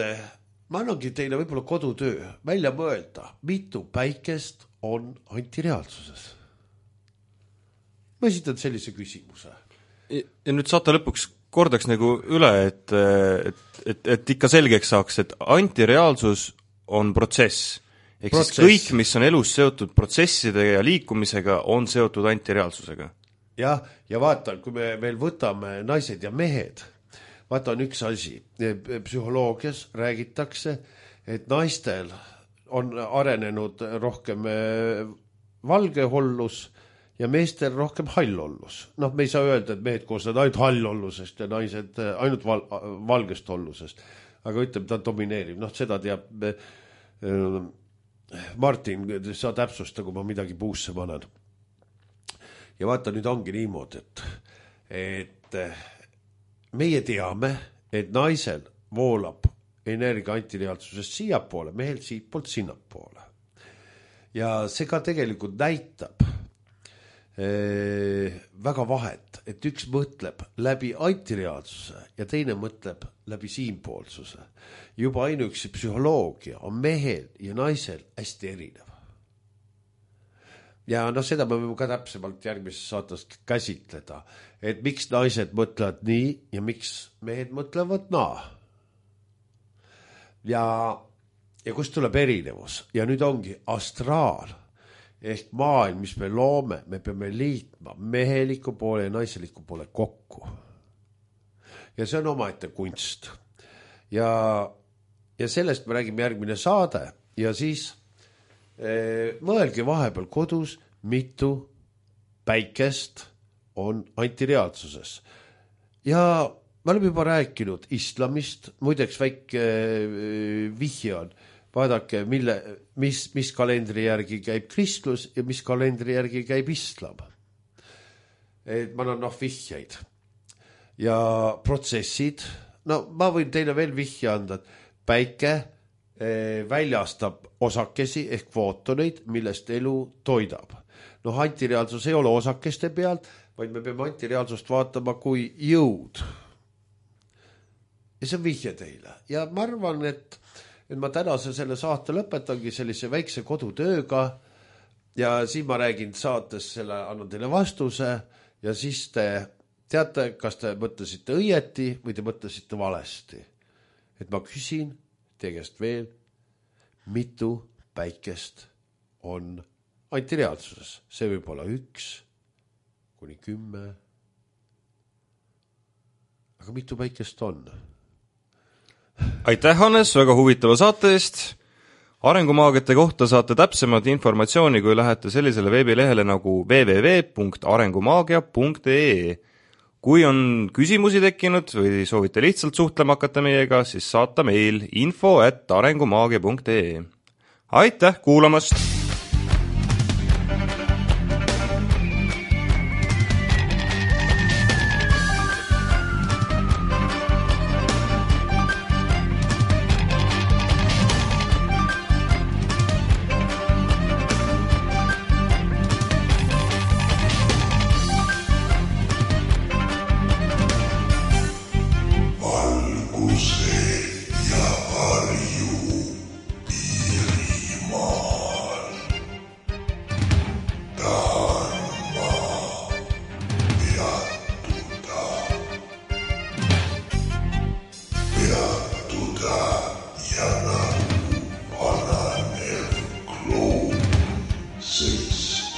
ma annangi teile võib-olla kodutöö välja mõelda, mitu päikest on antireaalsuses. Ma esitan sellise küsimuse. Ja, ja nüüd saate lõpuks kordaks nagu üle, et, et, et, et ikka selgeks saaks, et antireaalsus on protsess. Ehk protsess. Siis kõik, mis on elus seotud protsesside ja liikumisega, on seotud antireaalsusega. Ja, ja vaata, kui me veel võtame naised ja mehed, vaata on üks asi. Psühholoogias räägitakse, et naistel on arenenud rohkem valgehollus ja meestel rohkem hallhollus. Noh, me ei saa öelda, et mehed koosnevad ainult hallhollusest ja naised ainult val valgest hollusest. Aga ütleme, ta domineerib. Noh, seda teab äh, Martin, sa täpsusta, kui ma midagi puusse panen. Ja vaata, nüüd ongi niimoodi, et, et meie teame, et naisel voolab energia antireaalsusest siiapoole, mehel siit poolt sinnapoole. Ja see ka tegelikult näitab eh, väga vahet, et üks mõtleb läbi antireaalsuse ja teine mõtleb läbi siinpoolsuse. Juba ainuüksi psühholoogia on mehel ja naisel hästi erinev. Ja noh, seda me võime ka täpsemalt järgmises saates käsitleda, et miks naised mõtlevad nii ja miks mehed mõtlevad naa. Ja, ja kust tuleb erinevus? Ja nüüd ongi astraal ehk maailm, mis me loome, me peame liitma meheliku poole ja naiseliku poole kokku. Ja see on omaette kunst. Ja, ja sellest me räägime järgmine saade ja siis eh, mõelge vahepeal kodus, mitu päikest on antireaalsuses. Ja me oleme juba rääkinud islamist, muideks väike vihje on, vaadake, mille, mis, mis kalendri järgi käib kristlus ja mis kalendri järgi käib islam. Et ma annan noh vihjeid ja protsessid, no ma võin teile veel vihje anda, et päike väljastab osakesi ehk footoneid, millest elu toidab. Noh, antireaalsus ei ole osakeste pealt, vaid me peame antireaalsust vaatama kui jõud. Ja see on vihje teile. Ja ma arvan, et, et ma tänase selle saate lõpetangi sellise väikse kodutööga ja siin ma räägin saates selle, annan teile vastuse ja siis te teate, kas te mõtlesite õieti või te mõtlesite valesti. Et ma küsin teie käest veel, mitu päikest on antireaalsuses. See võib olla üks kuni kümme. Aga mitu päikest on? Aitäh, Hannes, väga huvitava saate eest. Arengumaagiate kohta saate täpsemat informatsiooni, kui lähete sellisele veebilehele nagu w w w punkt arengumaagia punkt e e. Kui on küsimusi tekkinud või soovite lihtsalt suhtlema hakata meiega, siis saata meil info at arengumaagia punkt e e. Aitäh kuulamast! Six,